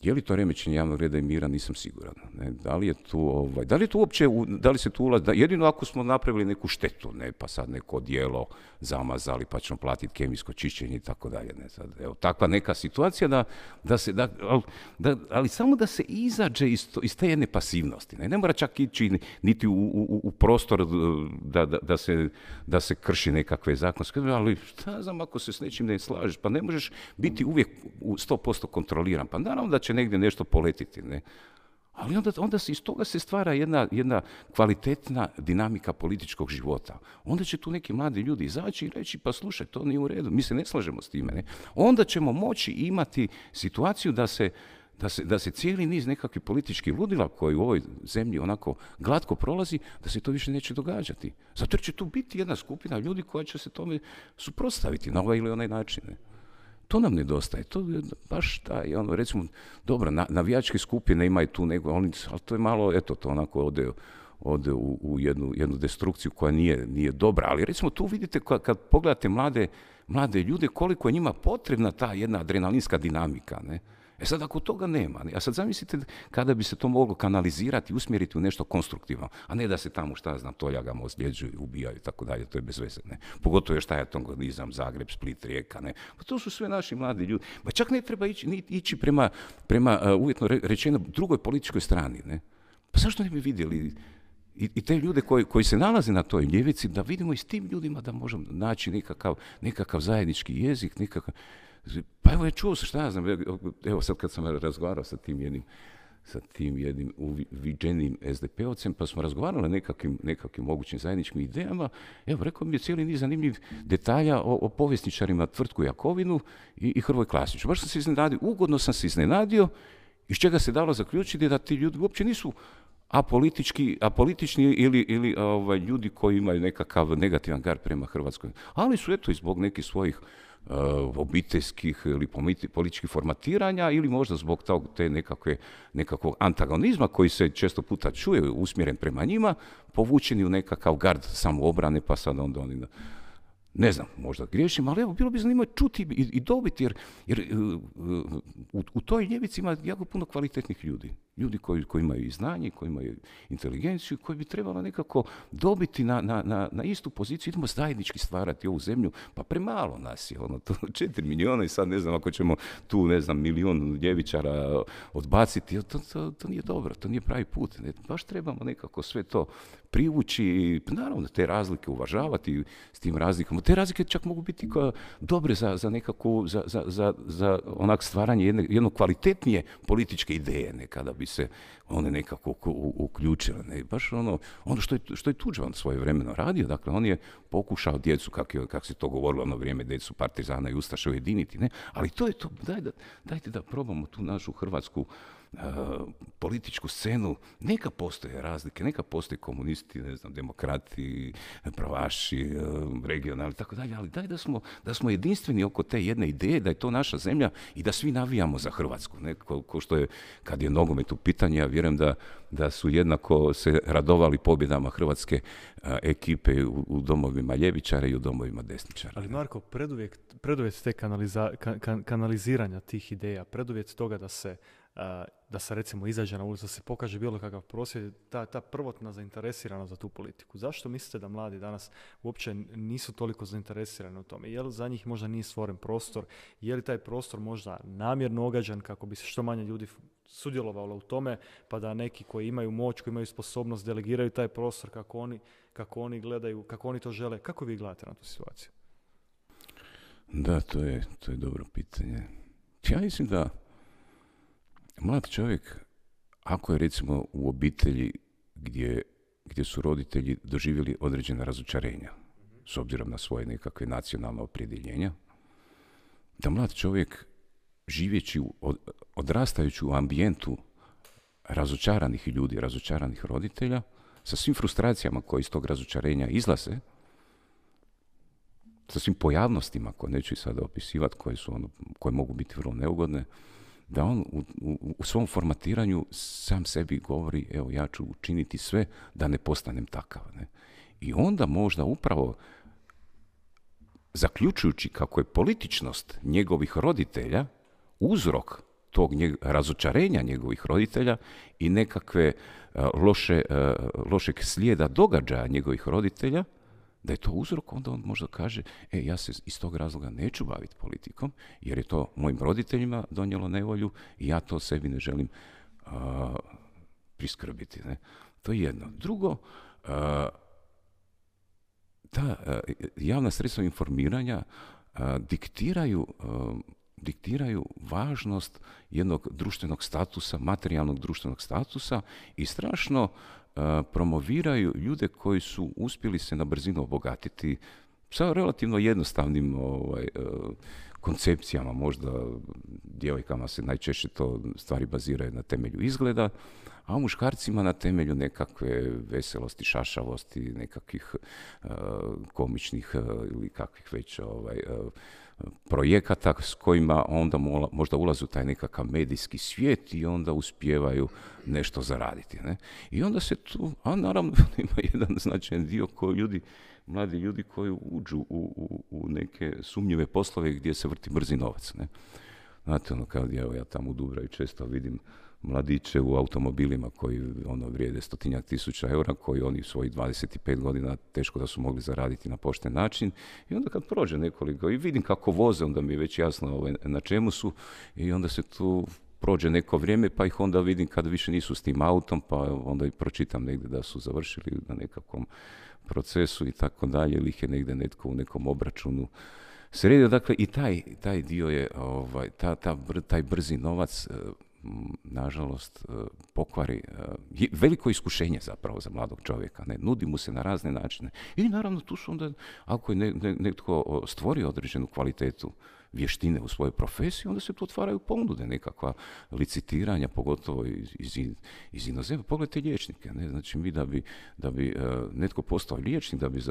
Je li to remećenje javnog reda i mira, nisam siguran. Ne? Da li se tu ulazi, jedino ako smo napravili neku štetu, ne? Pa sad neko odijelo zamazali, pa ćemo platiti kemijsko čišćenje i tako dalje. Ne? Sad, evo, takva neka situacija ali samo da se izađe iz te jedne pasivnosti. Ne mora čak ići niti u prostor da se krši nekakve zakonske, ali šta znam ako se s nečim ne slažeš, pa ne možeš biti uvijek 100% kontroliran. Pa naravno da će negdje nešto poletiti, ne? Ali onda iz toga se stvara jedna kvalitetna dinamika političkog života. Onda će tu neki mladi ljudi izaći i reći, pa slušaj, to nije u redu, mi se ne slažemo s time. Ne? Onda ćemo moći imati situaciju da se cijeli niz nekakvih političkih ludila koji u ovoj zemlji onako glatko prolazi, da se to više neće događati. Zato jer će tu biti jedna skupina ljudi koja će se tome suprotstaviti na ovaj ili onaj način. Ne? To nam nedostaje, to je baš taj, recimo, dobro, navijačke skupine imaju tu nego, ali to je malo, eto, to onako ode u jednu destrukciju koja nije dobra, ali recimo tu vidite kad pogledate mlade ljude, koliko je njima potrebna ta jedna adrenalinska dinamika, ne? E sad, ako toga nema, a sad zamislite kada bi se to moglo kanalizirati, usmjeriti u nešto konstruktivno, a ne da se tamo, toljagama ozljeđuju, ubijaju i tako dalje, to je bez veze, ne. Pogotovo je antagonizam, Zagreb, Split, Rijeka, ne. Pa to su sve naši mladi ljudi. Pa čak ne treba ići prema uvjetno rečeno drugoj političkoj strani, ne. Pa zašto ne bi vidjeli i te ljude koji se nalaze na toj ljevici, da vidimo i s tim ljudima da možemo naći nekakav zajednički jezik, pa evo, čuo se, šta ja znam, evo sad kad sam razgovarao sa tim jednim uviđenim SDP-ovcem, pa smo razgovarali o nekakvim mogućim zajedničkim idejama, evo, rekao mi je cijeli niz zanimljivih detalja o povjesničarima Tvrtku Jakovinu i Hrvoj Klasiću. Baš sam se iznenadio, ugodno sam se iznenadio, iz čega se dalo zaključiti da ti ljudi uopće nisu apolitični ili ljudi koji imaju nekakav negativan gard prema Hrvatskoj, ali su eto i zbog nekih svojih obiteljskih ili političkih formatiranja ili možda zbog nekakvog antagonizma koji se često puta čuje usmjeren prema njima, povučeni u nekakav gard samoobrane, pa sad onda oni... Ne znam, možda griješim, ali evo, bilo bi zanimljivo čuti i dobiti, jer u toj ljevici ima jako puno kvalitetnih ljudi. Ljudi koji imaju i znanje, koji imaju inteligenciju, koji bi trebalo nekako dobiti na istu poziciju. Idemo zajednički stvarati ovu zemlju, pa premalo nas je, to 4 milijuna i sad ne znam, ako ćemo tu, ne znam, 1 milion ljevičara odbaciti, to nije dobro, to nije pravi put. Ne? Baš trebamo nekako sve to privući i naravno te razlike uvažavati s tim razlikama. Te razlike čak mogu biti dobre za nekakvu, za onak stvaranje jedno kvalitetnije političke ideje, kada bi se one nekako uključile. Ne? Baš ono što je Tuđman svojevremeno radio, dakle on je pokušao djecu, kako se to govorilo ono vrijeme, djecu partizana i ustaša ujediniti, ne? Ali to je to, dajte da probamo tu našu hrvatsku političku scenu, neka postoje razlike, neka postoje komunisti, ne znam, demokrati, pravaši, regionalni, tako dalje, ali daj da smo jedinstveni oko te jedne ideje, da je to naša zemlja i da svi navijamo za Hrvatsku. Ne? Ko što je, kad je nogomet u pitanju, ja vjerujem da su jednako se radovali pobjedama hrvatske ekipe u domovima ljevičara i u domovima desničara. Ali Marko, preduvjet te kanaliziranja tih ideja, preduvjet toga da se da se recimo izađe na ulicu, da se pokaže bilo kakav prosvjed, ta prvotna zainteresiranost za tu politiku. Zašto mislite da mladi danas uopće nisu toliko zainteresirani u tome? Je li za njih možda nije stvoren prostor? Je li taj prostor možda namjerno ogađan kako bi se što manje ljudi sudjelovalo u tome, pa da neki koji imaju moć, koji imaju sposobnost delegiraju taj prostor kako oni gledaju, kako oni to žele? Kako vi gledate na tu situaciju? Da, to je dobro pitanje. Ja mislim da mlad čovjek, ako je recimo u obitelji gdje su roditelji doživjeli određena razočarenja, s obzirom na svoje nekakve nacionalne opredjeljenja, da mlad čovjek živeći, odrastajući u ambijentu razočaranih ljudi, razočaranih roditelja, sa svim frustracijama koje iz tog razočarenja izlaze, sa svim pojavnostima koje neću i sada opisivati, koje mogu biti vrlo neugodne, da on u svom formatiranju sam sebi govori, evo ja ću učiniti sve da ne postanem takav. Ne? I onda možda upravo zaključujući kako je političnost njegovih roditelja uzrok tog razočarenja njegovih roditelja i nekakve lošeg slijeda događaja njegovih roditelja, da je to uzrok, onda on možda kaže, ja se iz tog razloga neću baviti politikom, jer je to mojim roditeljima donijelo nevolju i ja to sebi ne želim priskrbiti. Ne? To je jedno. Drugo, ta javna sredstva informiranja diktiraju važnost jednog društvenog statusa, materijalnog društvenog statusa i strašno promoviraju ljude koji su uspjeli se na brzinu obogatiti sa relativno jednostavnim koncepcijama, možda djevojkama se najčešće to stvari baziraju na temelju izgleda, a u muškarcima na temelju nekakve veselosti, šašavosti, nekakvih komičnih ili kakvih već projekata s kojima onda možda ulaze u taj nekakav medijski svijet i onda uspijevaju nešto zaraditi. Ne? I onda se tu, a naravno ima jedan značajan dio mladi ljudi koji uđu u neke sumnjive poslove gdje se vrti brzi novac. Ne? Znate, kad ja tamo u Dubravi često vidim mladiće u automobilima koji vrijede 100.000 eura, koji oni svojih 25 godina teško da su mogli zaraditi na pošten način. I onda kad prođe nekoliko i vidim kako voze, onda mi je već jasno na čemu su i onda se tu prođe neko vrijeme, pa ih onda vidim kad više nisu s tim autom, pa onda i pročitam negdje da su završili na nekakvom procesu i tako dalje, ili ih je negdje netko u nekom obračunu sredio. Dakle, i taj dio je, taj brzi novac, nažalost, pokvari veliko iskušenje zapravo za mladog čovjeka. Ne? Nudi mu se na razne načine. I naravno tu su onda, ako je netko stvorio određenu kvalitetu vještine u svojoj profesiji, onda se tu otvaraju ponude, nekakva licitiranja, pogotovo iz inozemstva. Pogledajte liječnike. Ne? Znači mi da bi netko postao liječnik, da bi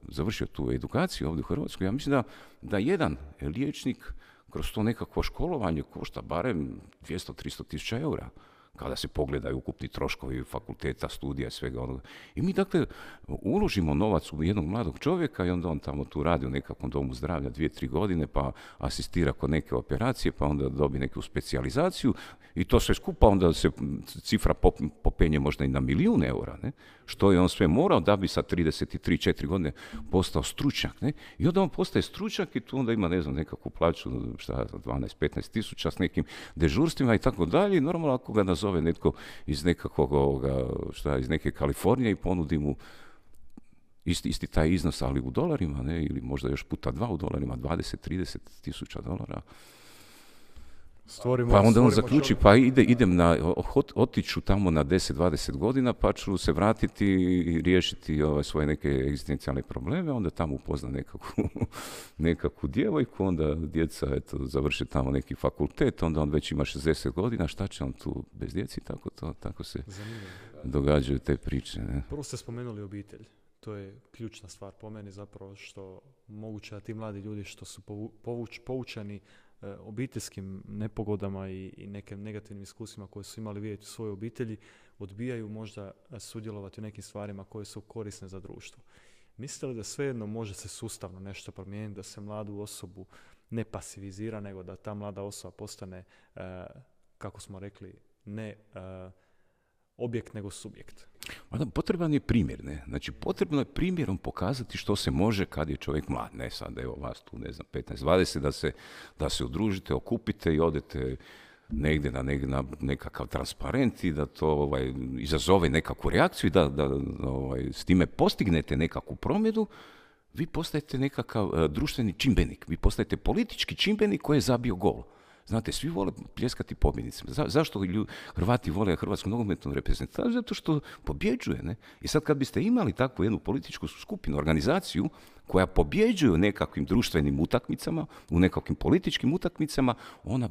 završio tu edukaciju ovdje u Hrvatskoj, ja mislim da jedan liječnik kroz to nekakvo školovanje košta barem 200-300 tisuća eura, kada se pogledaju ukupni troškovi fakulteta, studija i svega onoga. I mi dakle uložimo novac u jednog mladog čovjeka i onda on tamo tu radi u nekakvom domu zdravlja 2-3 godine, pa asistira kod neke operacije, pa onda dobi neku specijalizaciju i to sve skupa onda se cifra popenje možda i na 1.000.000 eura, ne? Što je on sve morao da bi sa 33-4 godine postao stručnjak. Ne? I onda on postaje stručnjak i tu onda ima, nekakvu plaću, 12-15 tisuća s nekim dežurstvima i tako dalje. I normalno ako ga nazove netko iz nekakvog, iz neke Kalifornije i ponudi mu isti taj iznos, ali u dolarima, ne? Ili možda još puta 2 u dolarima, 20-30 tisuća dolara. Pa onda on zaključi, pa idem otiću tamo na 10-20 godina, pa ću se vratiti i riješiti svoje neke egzistencijalne probleme, onda tamo upozna nekakvu djevojku, onda djeca završe tamo neki fakultet, onda on već ima 60 godina, šta će on tu bez djeci, tako se događaju te priče. Ne? Prvo ste spomenuli obitelj. To je ključna stvar po meni zapravo, što moguće da ti mladi ljudi što su poučeni obiteljskim nepogodama i nekim negativnim iskustvima koje su imali vidjeti u svojoj obitelji, odbijaju možda sudjelovati u nekim stvarima koje su korisne za društvo. Mislite li da svejedno može se sustavno nešto promijeniti, da se mladu osobu ne pasivizira, nego da ta mlada osoba postane kako smo rekli, ne objekt nego subjekt. Potreban je primjer, ne? Znači, potrebno je primjerom pokazati što se može kad je čovjek mlad. Ne sad, evo vas tu, ne znam, 15-20, da se udružite, okupite i odete negdje na nekakav transparent i da to izazove nekakvu reakciju i da s time postignete nekakvu promjenu, vi postajete nekakav društveni čimbenik, vi postajete politički čimbenik koji je zabio gol. Znate, svi vole pljeskati pobjednicima. Zašto Hrvati vole hrvatsku nogometnu reprezentaciju? Zato što pobjeđuje, ne? I sad kad biste imali takvu jednu političku skupinu, organizaciju koja pobjeđuje u nekakvim društvenim utakmicama, u nekakvim političkim utakmicama, ona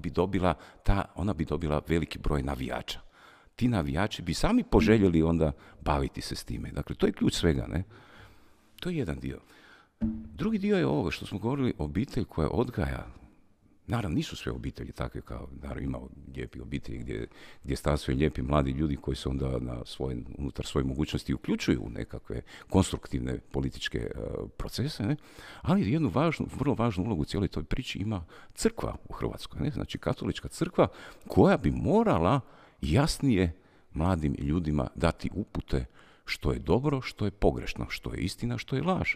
bi dobila veliki broj navijača. Ti navijači bi sami poželjeli onda baviti se s time. Dakle, to je ključ svega, ne? To je jedan dio. Drugi dio je ovo što smo govorili, obitelj koja odgaja. Naravno, nisu sve obitelji takve kao, naravno, ima lijepi obitelji gdje stasvaju lijepi mladi ljudi koji se onda unutar svoje mogućnosti uključuju u nekakve konstruktivne političke procese, ne? Ali jednu vrlo važnu ulogu u cijeloj toj priči ima crkva u Hrvatskoj, ne? Znači katolička crkva koja bi morala jasnije mladim ljudima dati upute što je dobro, što je pogrešno, što je istina, što je laž,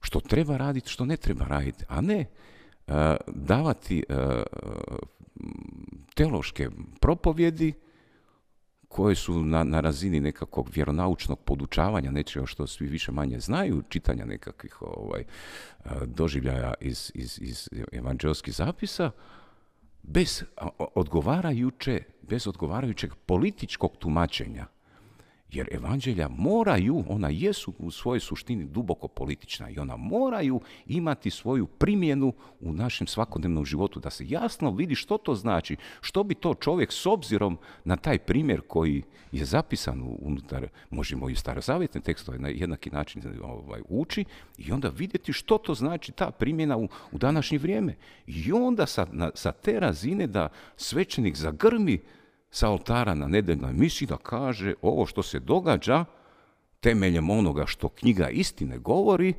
što treba raditi, što ne treba raditi, a ne davati teološke propovjedi koje su na razini nekakvog vjeronaučnog podučavanja, nečega što svi više manje znaju, čitanja nekakvih doživljaja iz evanđelskih zapisa, bez odgovarajućeg političkog tumačenja. Jer evanđelja ona jesu u svojoj suštini duboko politična i ona moraju imati svoju primjenu u našem svakodnevnom životu, da se jasno vidi što to znači, što bi to čovjek s obzirom na taj primjer koji je zapisan unutar, možemo i starozavjetne tekstove na jednaki način uči i onda vidjeti što to znači ta primjena u današnje vrijeme. I onda sa te razine da svećenik zagrmi sa oltara na nedeljnoj misi da kaže ovo što se događa temeljem onoga što knjiga istine govori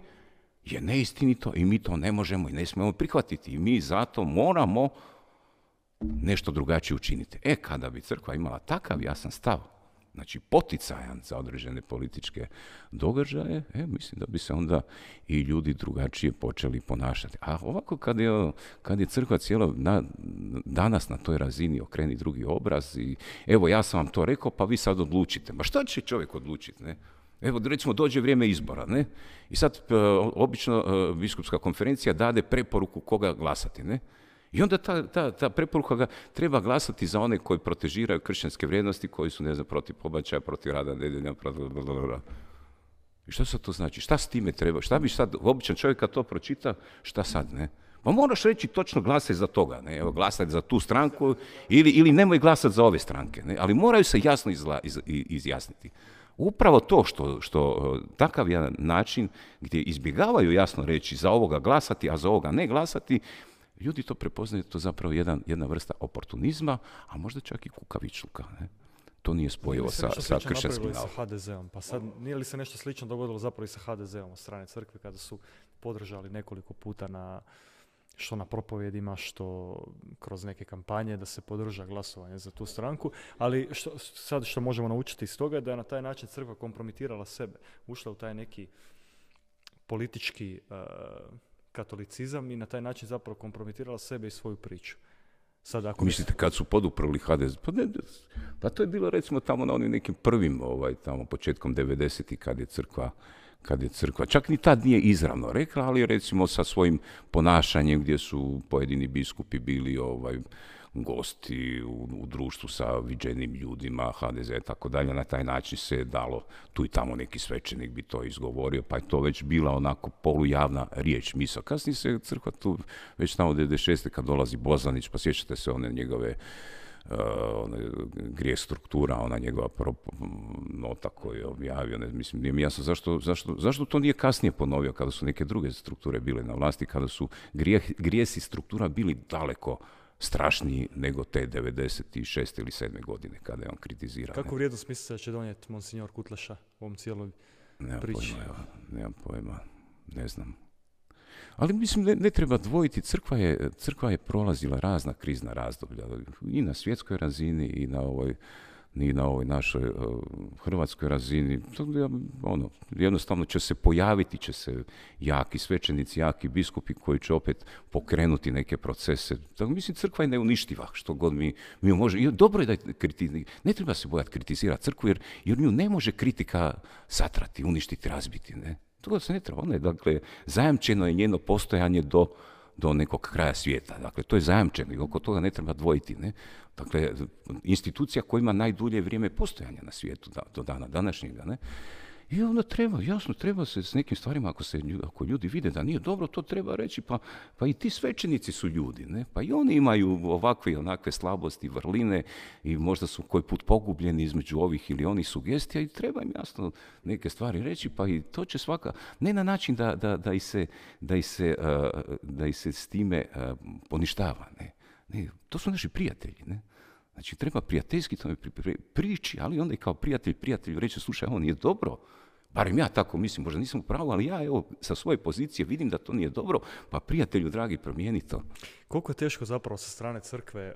je neistinito i mi to ne možemo i ne smijemo prihvatiti i mi zato moramo nešto drugačije učiniti. Kada bi crkva imala takav jasan stav, znači poticajan za određene političke događaje, mislim da bi se onda i ljudi drugačije počeli ponašati. A ovako kad je crkva cijelo danas na toj razini okreni drugi obraz i evo ja sam vam to rekao pa vi sad odlučite. Ma šta će čovjek odlučiti, ne? Evo recimo dođe vrijeme izbora, ne? I sad obično biskupska konferencija dade preporuku koga glasati, ne? I onda ta preporuka ga treba glasati za one koji protežiraju kršćanske vrijednosti, koji su, ne znam, protiv pobačaja, protiv rada nedjelja, I što sad to znači? Šta s time treba? Šta bi sad, običan čovjek kad to pročita, šta sad, ne? Pa moraš reći točno glasaj za toga, ne? Evo, glasaj za tu stranku ili nemoj glasati za ove stranke, ne? Ali moraju se jasno izjasniti. Upravo to što takav jedan način gdje izbjegavaju jasno reći za ovoga glasati, a za ovoga ne glasati, ljudi to prepoznaju, to zapravo jedna vrsta oportunizma, a možda čak i kukavičluka. Ne? To nije spojivo sa kršćanskim sa HDZ-om. Pa sad, nije li se nešto slično dogodilo zapravo i sa HDZ-om od strane crkve kada su podržali nekoliko puta što na propovjedima, što kroz neke kampanje da se podrža glasovanje za tu stranku, ali što možemo naučiti iz toga je da je na taj način crkva kompromitirala sebe, ušla u taj neki politički katolicizam i na taj način zapravo kompromitirala sebe i svoju priču. Sad, ako mislite kad su poduprli HDZ? Pa to je bilo recimo tamo na onim nekim prvim, tamo početkom 90-ih kad je crkva, čak ni tad nije izravno rekla, ali recimo sa svojim ponašanjem gdje su pojedini biskupi bili gosti u društvu sa viđenim ljudima, HDZ i tako dalje, na taj način se je dalo, tu i tamo neki svećenik bi to izgovorio, pa je to već bila onako polujavna riječ, misa. Kasnije se crkva tu, već tamo 96. kad dolazi Bozanić, pa sjećate se one njegove grijeh struktura, ona njegova nota koju je objavio, mislim, nije mi jasno zašto to nije kasnije ponovio kada su neke druge strukture bile na vlasti, kada su grijesi struktura bili daleko strašniji nego te 96. ili 7. godine kada je on kritizirao. Kako vrijednost mislite da će donijeti monsignor Kutleša u ovom cijeloj priči? Nemam pojma, ne znam. Ali mislim, ne treba dvojiti, crkva je prolazila razna krizna razdoblja, i na svjetskoj razini, i na ovoj našoj hrvatskoj razini. Jednostavno će se pojaviti jaki svećenici, jaki biskupi koji će opet pokrenuti neke procese. Tako, mislim, crkva je neuništiva, što god mi može. I dobro je da ne treba se bojati kritizirati crkvu, jer nju ne može kritika satrati, uništiti, razbiti, ne. Toga se ne treba. Ono je, dakle, zajamčeno je njeno postojanje do nekog kraja svijeta. Dakle, to je zajamčeno i oko toga ne treba dvojiti, ne. Dakle, institucija koja ima najdulje vrijeme postojanja na svijetu do dana današnjega, ne. I onda treba se s nekim stvarima, ako ljudi vide da nije dobro, to treba reći, pa i ti svećenici su ljudi, ne? Pa i oni imaju ovakve i onakve slabosti, vrline i možda su koji put pogubljeni između ovih ili onih sugestija i treba im jasno neke stvari reći, pa i to će svaka, ne na način da ih se s time poništava, ne? Ne, to su naši prijatelji, ne? Znači, treba prijateljski tome prići, ali onda i kao prijatelju reći, slušaj, ovo nije dobro. Barem ja tako mislim, možda nisam u pravu, ali ja evo sa svoje pozicije vidim da to nije dobro, pa prijatelju dragi, promijeni to. Koliko je teško zapravo sa strane crkve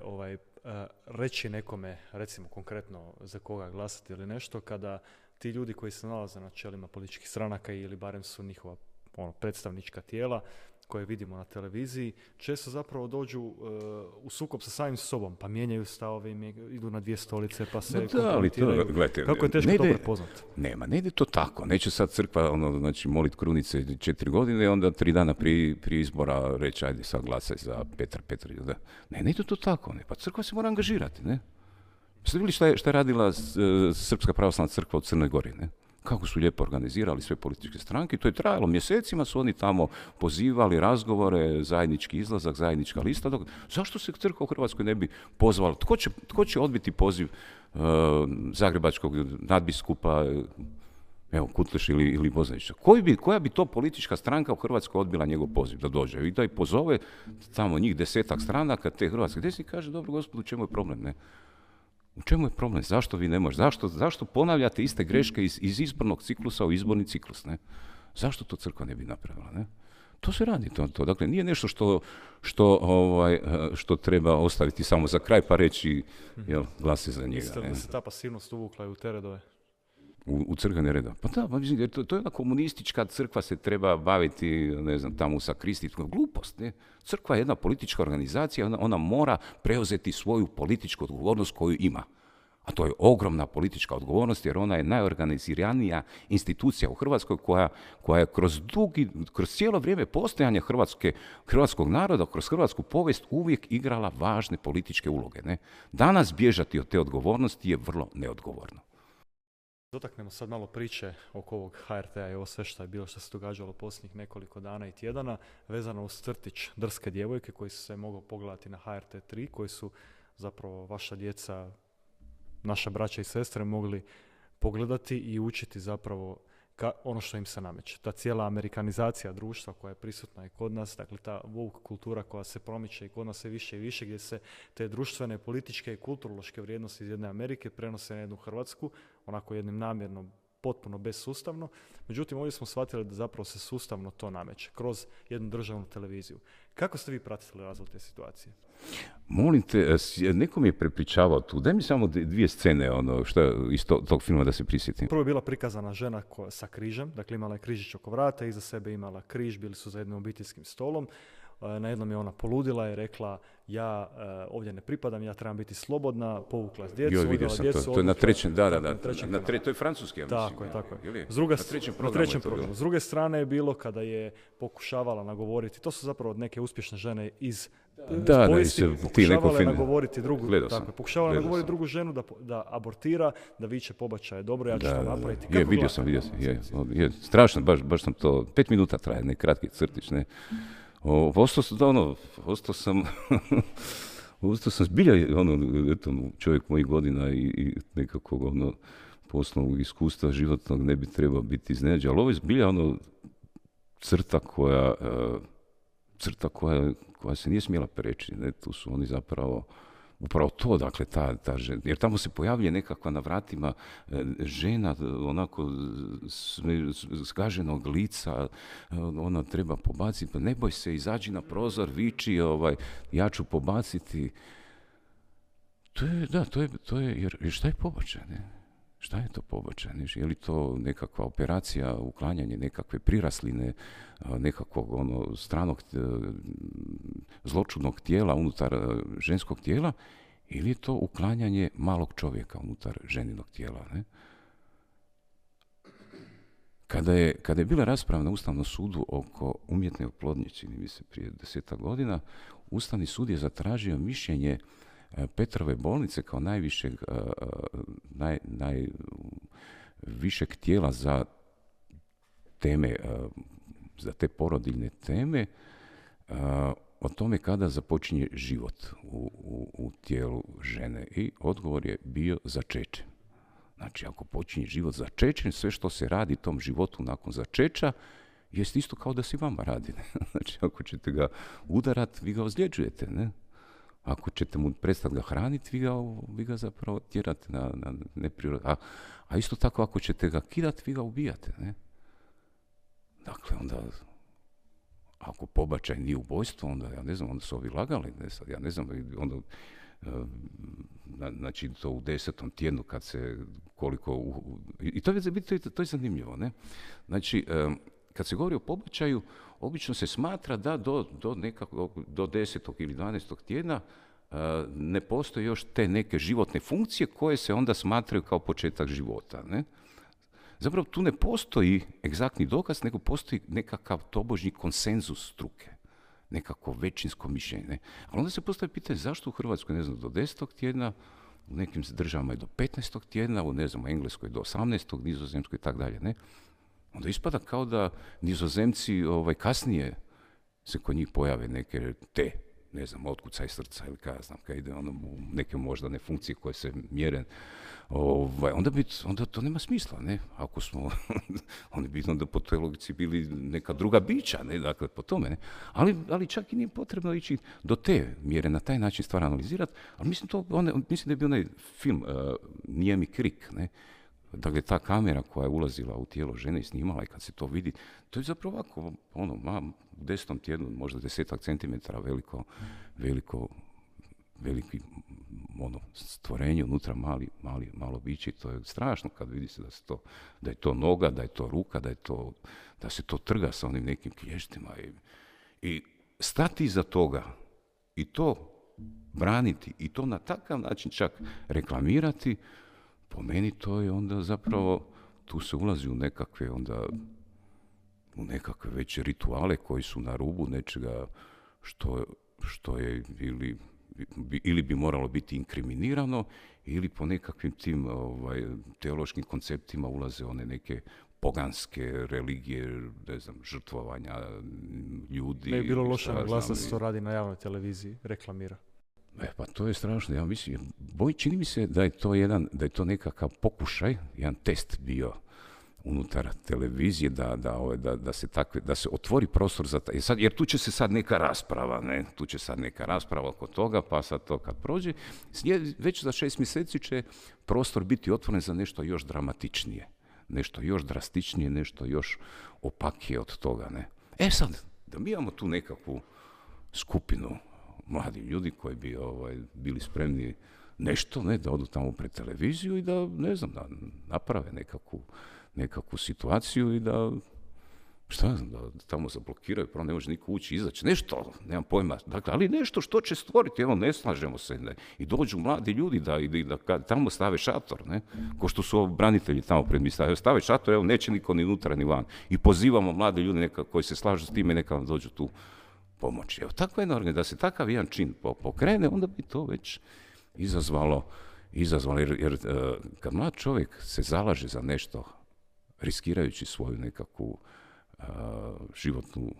reći nekome, recimo konkretno za koga glasati ili nešto, kada ti ljudi koji se nalaze na čelima političkih stranaka ili barem su njihova predstavnička tijela, koje vidimo na televiziji, često zapravo dođu u sukob sa samim sobom, pa mijenjaju stavove, idu na dvije stolice, pa se kompromitiraju. Kako je teško to prepoznati? Ne ide to tako. Neće sad crkva molit krunice 4 godine, onda 3 dana prije izbora reći, ajde sad glasaj za Petra. Ne ide to tako. Ne. Pa crkva se mora angažirati. Ne? Ste vidjeli šta je radila Srpska pravoslavna crkva u Crnoj Gori? Ne? Kako su lijepo organizirali sve političke stranke, to je trajalo mjesecima, su oni tamo pozivali razgovore, zajednički izlazak, zajednička lista. Zašto se crkva u Hrvatskoj ne bi pozvala? Tko će odbiti poziv zagrebačkog nadbiskupa, evo, Kutleša ili Bozanića? Koja bi to politička stranka u Hrvatskoj odbila njegov poziv da dođe? I da ih pozove tamo njih 10 stranaka, te hrvatske desni, kaže, dobro gospodu, u čemu je problem, ne? U čemu je problem? Zašto vi ne možete? Zašto ponavljate iste greške iz izbornog ciklusa u izborni ciklus? Ne? Zašto to crkva ne bi napravila? Ne? To se radi. To. Dakle, nije nešto što treba ostaviti samo za kraj pa reći glase za njega. Mislite da se ta pasivnost uvukla u te redove? U crkvene reda. Pa da, jer to je jedna komunistička crkva, se treba baviti, ne znam, tamo sa kristitskom. Glupost, ne? Crkva je jedna politička organizacija, ona mora preuzeti svoju političku odgovornost koju ima. A to je ogromna politička odgovornost, jer ona je najorganiziranija institucija u Hrvatskoj koja je kroz cijelo vrijeme postojanja hrvatskog naroda, kroz hrvatsku povijest uvijek igrala važne političke uloge. Ne? Danas bježati od te odgovornosti je vrlo neodgovorno. Dotaknemo sad malo priče oko ovog HRT-a i ovo sve što je bilo, što se događalo posljednjih nekoliko dana i tjedana, vezano uz crtić Drske djevojke koji su se mogao pogledati na HRT 3, koji su zapravo vaša djeca, naša braća i sestre mogli pogledati i učiti zapravo ono što im se nameće. Ta cijela amerikanizacija društva koja je prisutna i kod nas, dakle ta woke kultura koja se promiče i kod nas sve više i više, gdje se te društvene, političke i kulturološke vrijednosti iz jedne Amerike prenose na jednu Hrvatsku, onako jednim namjerno, potpuno bezsustavno. Međutim, ovdje smo shvatili da zapravo se sustavno to nameće kroz jednu državnu televiziju. Kako ste vi pratili razvoj te situacije? Molim te, neko mi je prepričavao tu. Daj mi samo 2 scene iz tog filma da se prisjetim. Prvo je bila prikazana žena sa križem, dakle imala je križić oko vrata, iza sebe imala križ, bili su za jednim obiteljskim stolom. Na jednom je ona poludila i rekla, ja ovdje ne pripadam, ja trebam biti slobodna, povukla djecu, odvela djecu. To je na trećem, to je francuski, ja mislim. Tako je. Na trećem programu. S druge strane je bilo kada je pokušavala nagovoriti, to su zapravo neke uspješne žene iz povijesti, pokušavala je nagovoriti drugu ženu da abortira, da viče pobačaj je dobro, ja ću to napraviti. Vidio sam. Strašno, baš sam to, 5 minuta traje, ne kratki crtić, ne. Ostao sam zbilja čovjek mojih godina i nekakvog poslovnog iskustva životnog ne bi trebao biti iznenađen, ali ovo je zbilja crta koja se nije smjela preći. Ne? Tu su oni zapravo upravo to, dakle, ta žena, jer tamo se pojavlja nekakva na vratima žena, onako zgaženog lica, ona treba pobaciti, pa ne boj se, izađi na prozor, viči, ja ću pobaciti. To je, jer šta je pobačaj, ne? Šta je to pobačaj? Je li to nekakva operacija, uklanjanje nekakve prirasline, nekakvog stranog zločudnog tijela unutar ženskog tijela, ili je to uklanjanje malog čovjeka unutar ženinog tijela? Ne? Kada je bila rasprava na Ustavnom sudu oko umjetne oplodnje, čini mi se prije 10 godina, Ustavni sud je zatražio mišljenje Petrove bolnice kao najvišeg tijela za teme, za te porodiljne teme, o tome kada započinje život u tijelu žene. I odgovor je bio začeće. Znači, ako počinje život začećem, sve što se radi tom životu nakon začeća, jest isto kao da se vama radi. Ne? Znači, ako ćete ga udarati, vi ga ozljeđujete, ne? Ako ćete mu prestati ga hraniti, vi ga zapravo tjerate na neprirodan. A isto tako, ako ćete ga kidati, vi ga ubijate. Ne? Dakle, onda, ako pobačaj nije ubojstvo, onda, ja ne znam, onda su ovi lagali. Ne, sad, ja ne znam, onda, znači, to u 10. tjednu kad se koliko... I to je zanimljivo, ne? Znači, kad se govori o pobačaju, obično se smatra da do 10. ili 12. tjedna ne postoje još te neke životne funkcije koje se onda smatraju kao početak života. Ne? Zapravo tu ne postoji egzaktni dokaz, nego postoji nekakav tobožnji konsenzus struke, nekako većinsko mišljenje. Ne? Ali onda se postavlja pitanje zašto u Hrvatskoj, ne znam, do 10. tjedna, u nekim državama je do 15. tjedna, u Engleskoj do 18. Nizozemskoj i tako dalje. Ne? Onda ispada kao da Nizozemci kasnije se kod njih pojave neke ne znam, otkucaj srca ili kaj ja znam, kaj ide u neke moždane funkcije koje se mjere, onda to nema smisla, ne? Ako smo, oni bi onda po toj logici bili neka druga bića, ne? Dakle, po tome, ne? Ali čak i nije potrebno ići do te mjere, na taj način stvar analizirati, ali mislim da je bio onaj film Nijemi krik, ne? Dakle, ta kamera koja je ulazila u tijelo žene i snimala i kad se to vidi, to je zapravo ovako, u 10. tjednu, možda 10 centimetara veliki stvorenje, unutra malo biće, to je strašno kad vidi se da je to noga, da je to ruka, da se to trga sa onim nekim klještima i stati iza toga i to braniti i to na takav način čak reklamirati. Po meni to je onda zapravo, tu se ulazi u nekakve već rituale koji su na rubu nečega što je ili bi moralo biti inkriminirano, ili po nekakvim tim teološkim konceptima ulaze one neke poganske religije, ne znam, žrtvovanja ljudi. Ne bi bilo loše glas da se to radi na javnoj televiziji, reklamira. Pa to je strašno, ja mislim, čini mi se da je to nekakav pokušaj, jedan test bio unutar televizije, da se otvori prostor za taj, jer tu će se sad neka rasprava, oko toga, pa sad to kad prođe, već za 6 mjeseci će prostor biti otvoren za nešto još dramatičnije, nešto još drastičnije, nešto još opakije od toga, ne. Sad, da mi imamo tu nekakvu skupinu mladi ljudi koji bi bili spremni nešto, ne, da odu tamo pred televiziju i da, ne znam, da naprave nekakvu situaciju i da, da tamo zablokiraju, prvo ne može niko ući, izaći, nešto, nemam pojma, dakle, ali nešto što će stvoriti, evo, ne slažemo se, ne, i dođu mladi ljudi da tamo stave šator, ne, ko što su branitelji tamo pred mi stave šator, evo, neće niko ni unutra ni van, i pozivamo mlade ljudi koji se slažu s time, neka vam dođu tu pomoći. Evo, takva jedna organizacija, da se takav jedan čin pokrene, onda bi to već izazvalo jer kad mlad čovjek se zalaže za nešto, riskirajući svoju nekakvu životnu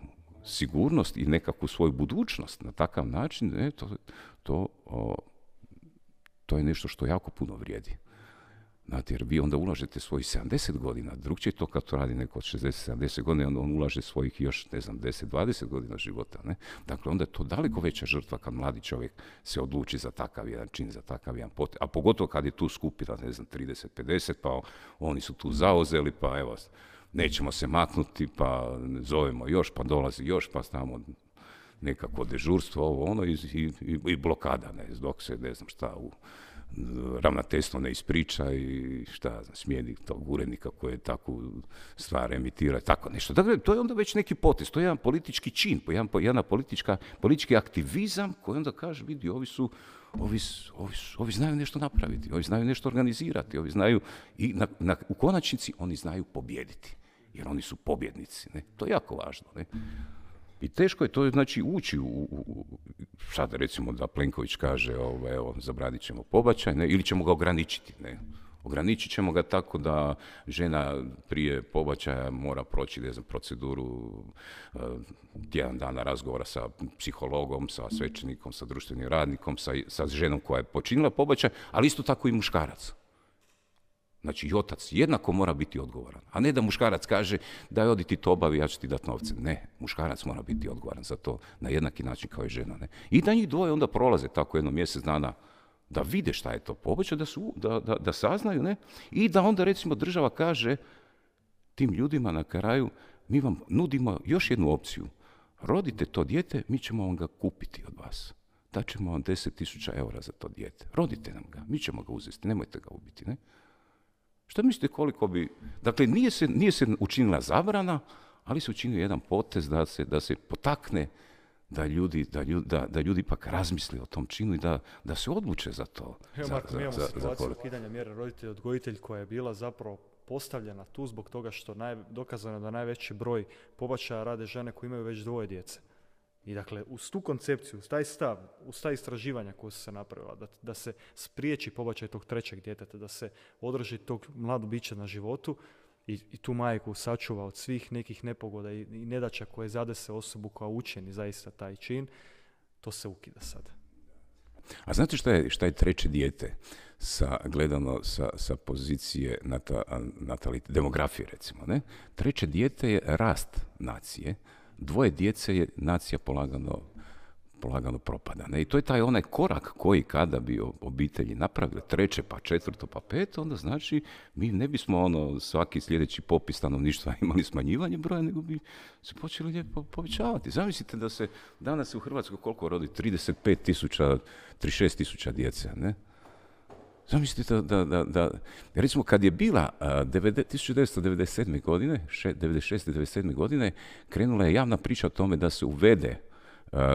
sigurnost i nekakvu svoju budućnost na takav način, to je nešto što jako puno vrijedi. Znate, jer vi onda ulažete svojih 70 godina, drugčije to kad to radi neko od 60-70 godina, onda on ulaže svojih još, 10-20 godina života. Ne? Dakle, onda je to daleko veća žrtva kad mladi čovjek se odluči za takav jedan čin, za takav jedan potez. A pogotovo kad je tu skupina, 30-50, pa oni su tu zauzeli, pa evo, nećemo se maknuti, pa zovemo još, pa dolazi još, pa stavimo nekako dežurstvo, ovo, ono, i blokada, ne, dok se, ne znam šta, ravnateljstvo ne ispriča i smijeni tog urednika koji je takvu stvar emitira, tako nešto. Dakle, to je onda već neki potez, to je jedan politički čin, jedna politički aktivizam koji onda kaže, vidi, ovi znaju nešto napraviti, ovi znaju nešto organizirati, ovi znaju, i u konačnici oni znaju pobijediti, jer oni su pobjednici. Ne? To je jako važno. Ne? I teško je to, znači, ući sad recimo da Plenković kaže, evo, zabranit ćemo pobačaj, ne, ili ćemo ga ograničiti, ne. Ograničit ćemo ga tako da žena prije pobačaja mora proći, ne znam, proceduru tjedan dana razgovora sa psihologom, sa svećenikom, sa društvenim radnikom, sa ženom koja je počinila pobačaj, ali isto tako i muškarac. Znači, i otac jednako mora biti odgovoran. A ne da muškarac kaže, daj odi ti to obavi, ja ću ti dati novce. Ne, muškarac mora biti odgovoran za to na jednaki način kao i žena. Ne? I da njih dvoje onda prolaze tako jedno mjesec dana da vide šta je to pobačaj, da saznaju, ne? I da onda recimo država kaže tim ljudima na kraju, mi vam nudimo još jednu opciju. Rodite to dijete, mi ćemo vam ga kupiti od vas. Daćemo vam 10.000 eura za to dijete. Rodite nam ga, mi ćemo ga uzeti, nemojte ga ubiti, ne? Što mislite koliko bi... Dakle, nije se učinila zabrana, ali se učinio jedan potez da se potakne da ljudi ipak razmisli o tom činu i da se odluče za to. Evo, Marko, mi imamo situaciju ukidanja mjere roditelj-odgojitelj koja je bila zapravo postavljena tu zbog toga što dokazano da najveći broj pobačaja rade žene koje imaju već 2 djece. I dakle, uz tu koncepciju, uz taj stav, uz ta istraživanja koja su se napravila, da se spriječi pobačaj tog 3. djeteta, da se održi tog mladog bića na životu i tu majku sačuva od svih nekih nepogoda i nedaća koje zadese osobu koja učini zaista taj čin, to se ukida sad. A znate šta je 3. dijete gledano sa pozicije demografije, recimo, ne? 3. dijete je rast nacije, 2 djece je nacija polagano propada. Ne? I to je taj onaj korak koji kada bi obitelji napravili 3, pa 4, pa 5, onda znači mi ne bismo svaki sljedeći popis stanovništva imali smanjivanje broja, nego bi se počeli lijepo povećavati. Zamislite da se danas u Hrvatskoj koliko rodi? 35.000, 36.000 djece, ne? Zamislite da recimo kad je bila 1997. godine, 96. godine, krenula je javna priča o tome da se uvede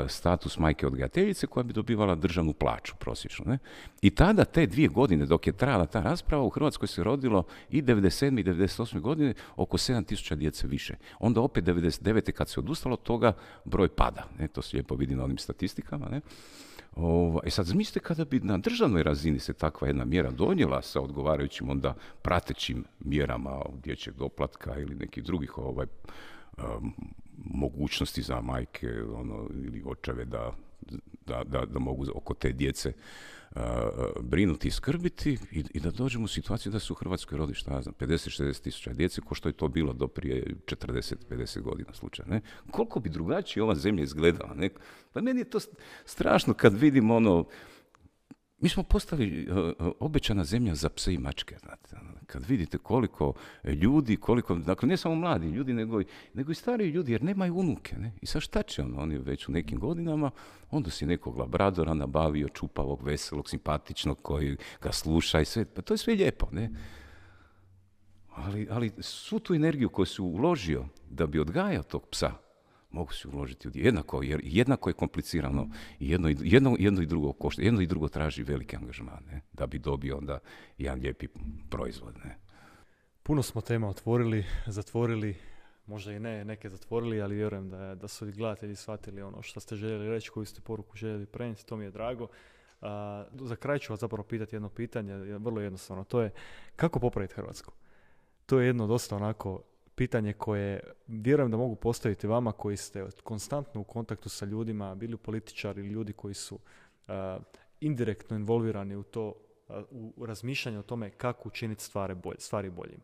status majke odgajateljice koja bi dobivala državnu plaću prosječno. Ne? I tada te 2 godine dok je trajala ta rasprava u Hrvatskoj se rodilo i 97. i 98. godine oko 7.000 djece više. Onda opet 99. kad se odustalo od toga broj pada. Ne? To se lijepo vidi na onim statistikama. Ne? Sad zamislite kada bi na državnoj razini se takva jedna mjera donijela sa odgovarajućim onda pratećim mjerama dječjeg doplatka ili nekih drugih mogućnosti za majke ili očeve da mogu oko te djece brinuti i skrbiti i da dođemo u situaciju da se u Hrvatskoj rodi, 50-60 tisuća djece, ko što je to bilo do prije 40-50 godina slučaj. Ne? Koliko bi drugačije ova zemlja izgledala? Ne? Pa meni je to strašno kad vidim mi smo postali obećana zemlja za pse i mačke, znate. Kad vidite koliko ljudi, dakle ne samo mladi ljudi, nego i stariji ljudi, jer nemaju unuke. Ne? I sad šta će oni već u nekim godinama, onda si nekog labradora nabavio, čupavog, veselog, simpatičnog, koji ga sluša i sve. Pa to je sve lijepo, ne? Ali svu tu energiju koju si uložio da bi odgajao tog psa, mogu se uložiti jer jednako je komplicirano i jedno i drugo košta, jedno i drugo traži veliki angažman, ne? Da bi dobio onda jedan lijepi proizvod. Ne? Puno smo tema otvorili, zatvorili, možda i ne, neke zatvorili, ali vjerujem da su i gledatelji shvatili ono što ste željeli reći, koju ste poruku željeli prenijeti, to mi je drago. Za kraj ću vas zapravo pitati jedno pitanje, vrlo jednostavno, to je kako popraviti Hrvatsku? To je jedno dosta onako pitanje koje vjerujem da mogu postaviti vama koji ste konstantno u kontaktu sa ljudima, bili političari ili ljudi koji su indirektno involvirani u to u razmišljanju o tome kako učiniti stvari boljim.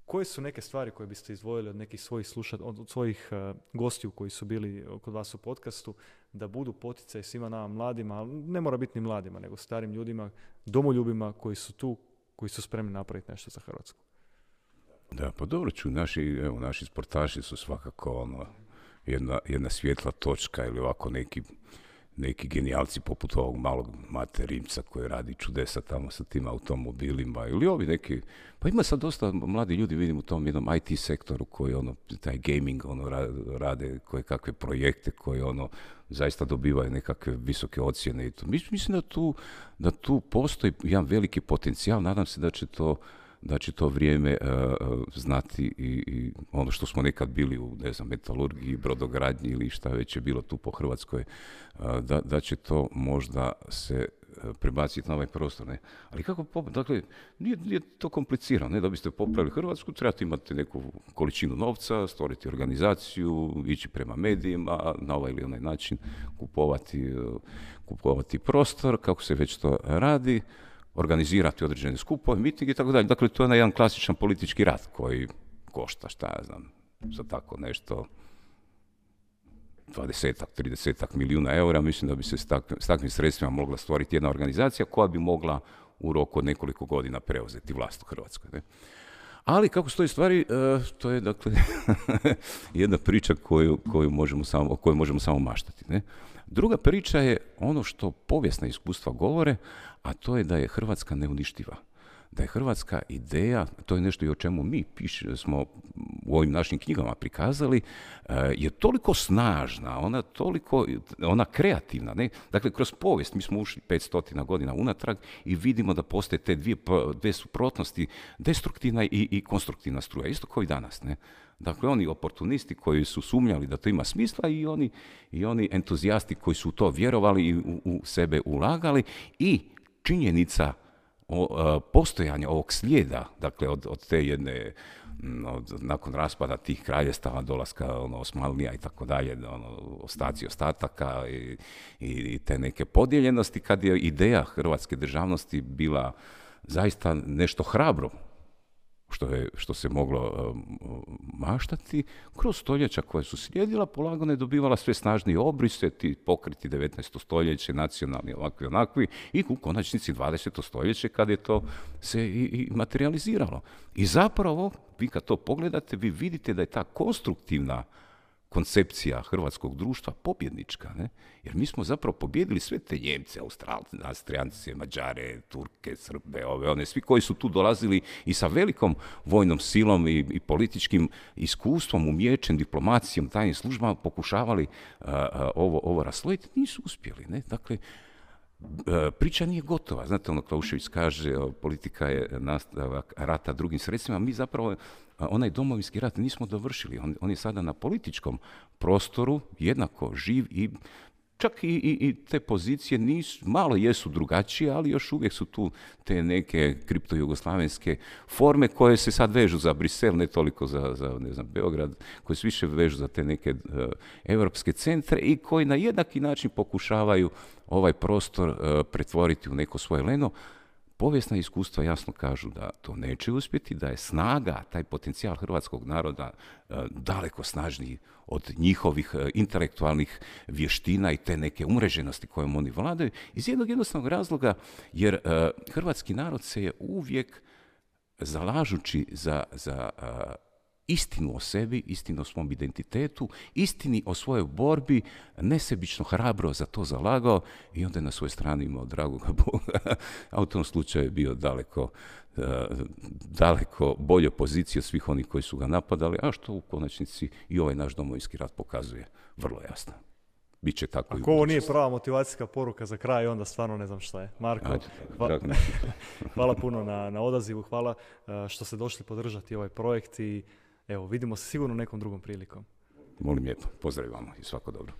Koje su neke stvari koje biste izdvojili od nekih svojih od svojih gostiju koji su bili kod vas u podcastu, da budu poticaj svima nama mladima, ali ne mora biti ni mladima, nego starim ljudima, domoljubima koji su tu, koji su spremni napraviti nešto za Hrvatsku? Da, pa dobro ću, naši sportaši su svakako jedna svjetla točka ili ovako neki genijalci poput ovog malog Mate Rimca koji radi čudesa tamo sa tim automobilima ili ovi neki, pa ima sad dosta mladi ljudi, vidim u tom jednom IT sektoru koji taj gaming rade koje kakve projekte koji zaista dobivaju nekakve visoke ocjene i to. Mislim da tu postoji jedan veliki potencijal, nadam se da će to vrijeme znati i ono što smo nekad bili u, metalurgiji, brodogradnji ili šta već je bilo tu po Hrvatskoj, da će to možda se prebaciti na ovaj prostor. Ne? Ali dakle, nije to komplicirano. Ne? Da biste popravili Hrvatsku, trebate imati neku količinu novca, stvoriti organizaciju, ići prema medijima, na ovaj ili onaj način kupovati prostor, kako se već to radi, organizirati određene skupove, mitinge i tako dalje. Dakle, to je jedan klasičan politički rad koji košta, za tako nešto 20-30 milijuna eura. Mislim da bi se s takvim sredstvima mogla stvoriti jedna organizacija koja bi mogla u roku od nekoliko godina preuzeti vlast u Hrvatskoj. Ne? Ali kako stoji stvari, to je dakle jedna priča o kojoj možemo samo maštati. Ne? Druga priča je ono što povijesna iskustva govore, a to je da je Hrvatska neuništiva. Da je hrvatska ideja, to je nešto i o čemu mi smo u ovim našim knjigama prikazali, je toliko snažna, ona kreativna. Ne? Dakle, kroz povijest mi smo ušli 500 godina unatrag i vidimo da postoje te dvije suprotnosti, destruktivna i konstruktivna struja, isto kao i danas. Ne? Dakle, oni oportunisti koji su sumnjali da to ima smisla i oni entuzijasti koji su u to vjerovali i u sebe ulagali i činjenica postojanja ovog slijeda, dakle od te jedne, nakon raspada tih kraljestava, dolaska Osmanlija i tako dalje, ostaci ostataka i te neke podijeljenosti, kad je ideja hrvatske državnosti bila zaista nešto hrabro, što se moglo maštati, kroz stoljeća koje su slijedila, polagano je dobivala sve snažnije obrise, ti pokriti 19. stoljeće, nacionalni, ovakvi, onakvi, i u konačnici 20. stoljeće kad je to se i materializiralo. I zapravo, vi kad to pogledate, vi vidite da je ta konstruktivna koncepcija hrvatskog društva pobjednička, ne? Jer mi smo zapravo pobjedili sve te Njemce, Austrijance, Mađare, Turke, Srbe, one, svi koji su tu dolazili i sa velikom vojnom silom i političkim iskustvom, umijećem, diplomacijom, tajnim službama pokušavali ovo raslojiti, nisu uspjeli. Ne? Dakle, priča nije gotova. Znate, Klaušević kaže, politika je nastavak rata drugim sredstvima. Mi zapravo onaj domovinski rat nismo dovršili. On je sada na političkom prostoru jednako živ i čak i te pozicije malo jesu drugačije, ali još uvijek su tu te neke kriptojugoslavenske forme koje se sad vežu za Brisel, ne toliko za ne znam, Beograd, koje se više vežu za te neke europske centre i koji na jednaki način pokušavaju ovaj prostor pretvoriti u neko svoje leno. Povijesna iskustva jasno kažu da to neće uspjeti, da je snaga, taj potencijal hrvatskog naroda daleko snažniji od njihovih intelektualnih vještina i te neke umreženosti kojom oni vladaju, iz jednog jednostavnog razloga, jer hrvatski narod se je uvijek zalažući za istinu o sebi, istinu o svom identitetu, istini o svojoj borbi, nesebično hrabro za to zalagao i onda je na svojoj strani imao dragoga Boga, a u tom slučaju je bio daleko bolje pozicije od svih onih koji su ga napadali, a što u konačnici i ovaj naš domovinski rat pokazuje vrlo jasno. Biće tako. Ako ovo nije prava motivacijska poruka za kraj, onda stvarno ne znam šta je. Marko, hvala puno na odazivu, hvala što ste došli podržati ovaj projekt i evo, vidimo se sigurno nekom drugom prilikom. Molim lijepo, pozdravljamo i svako dobro.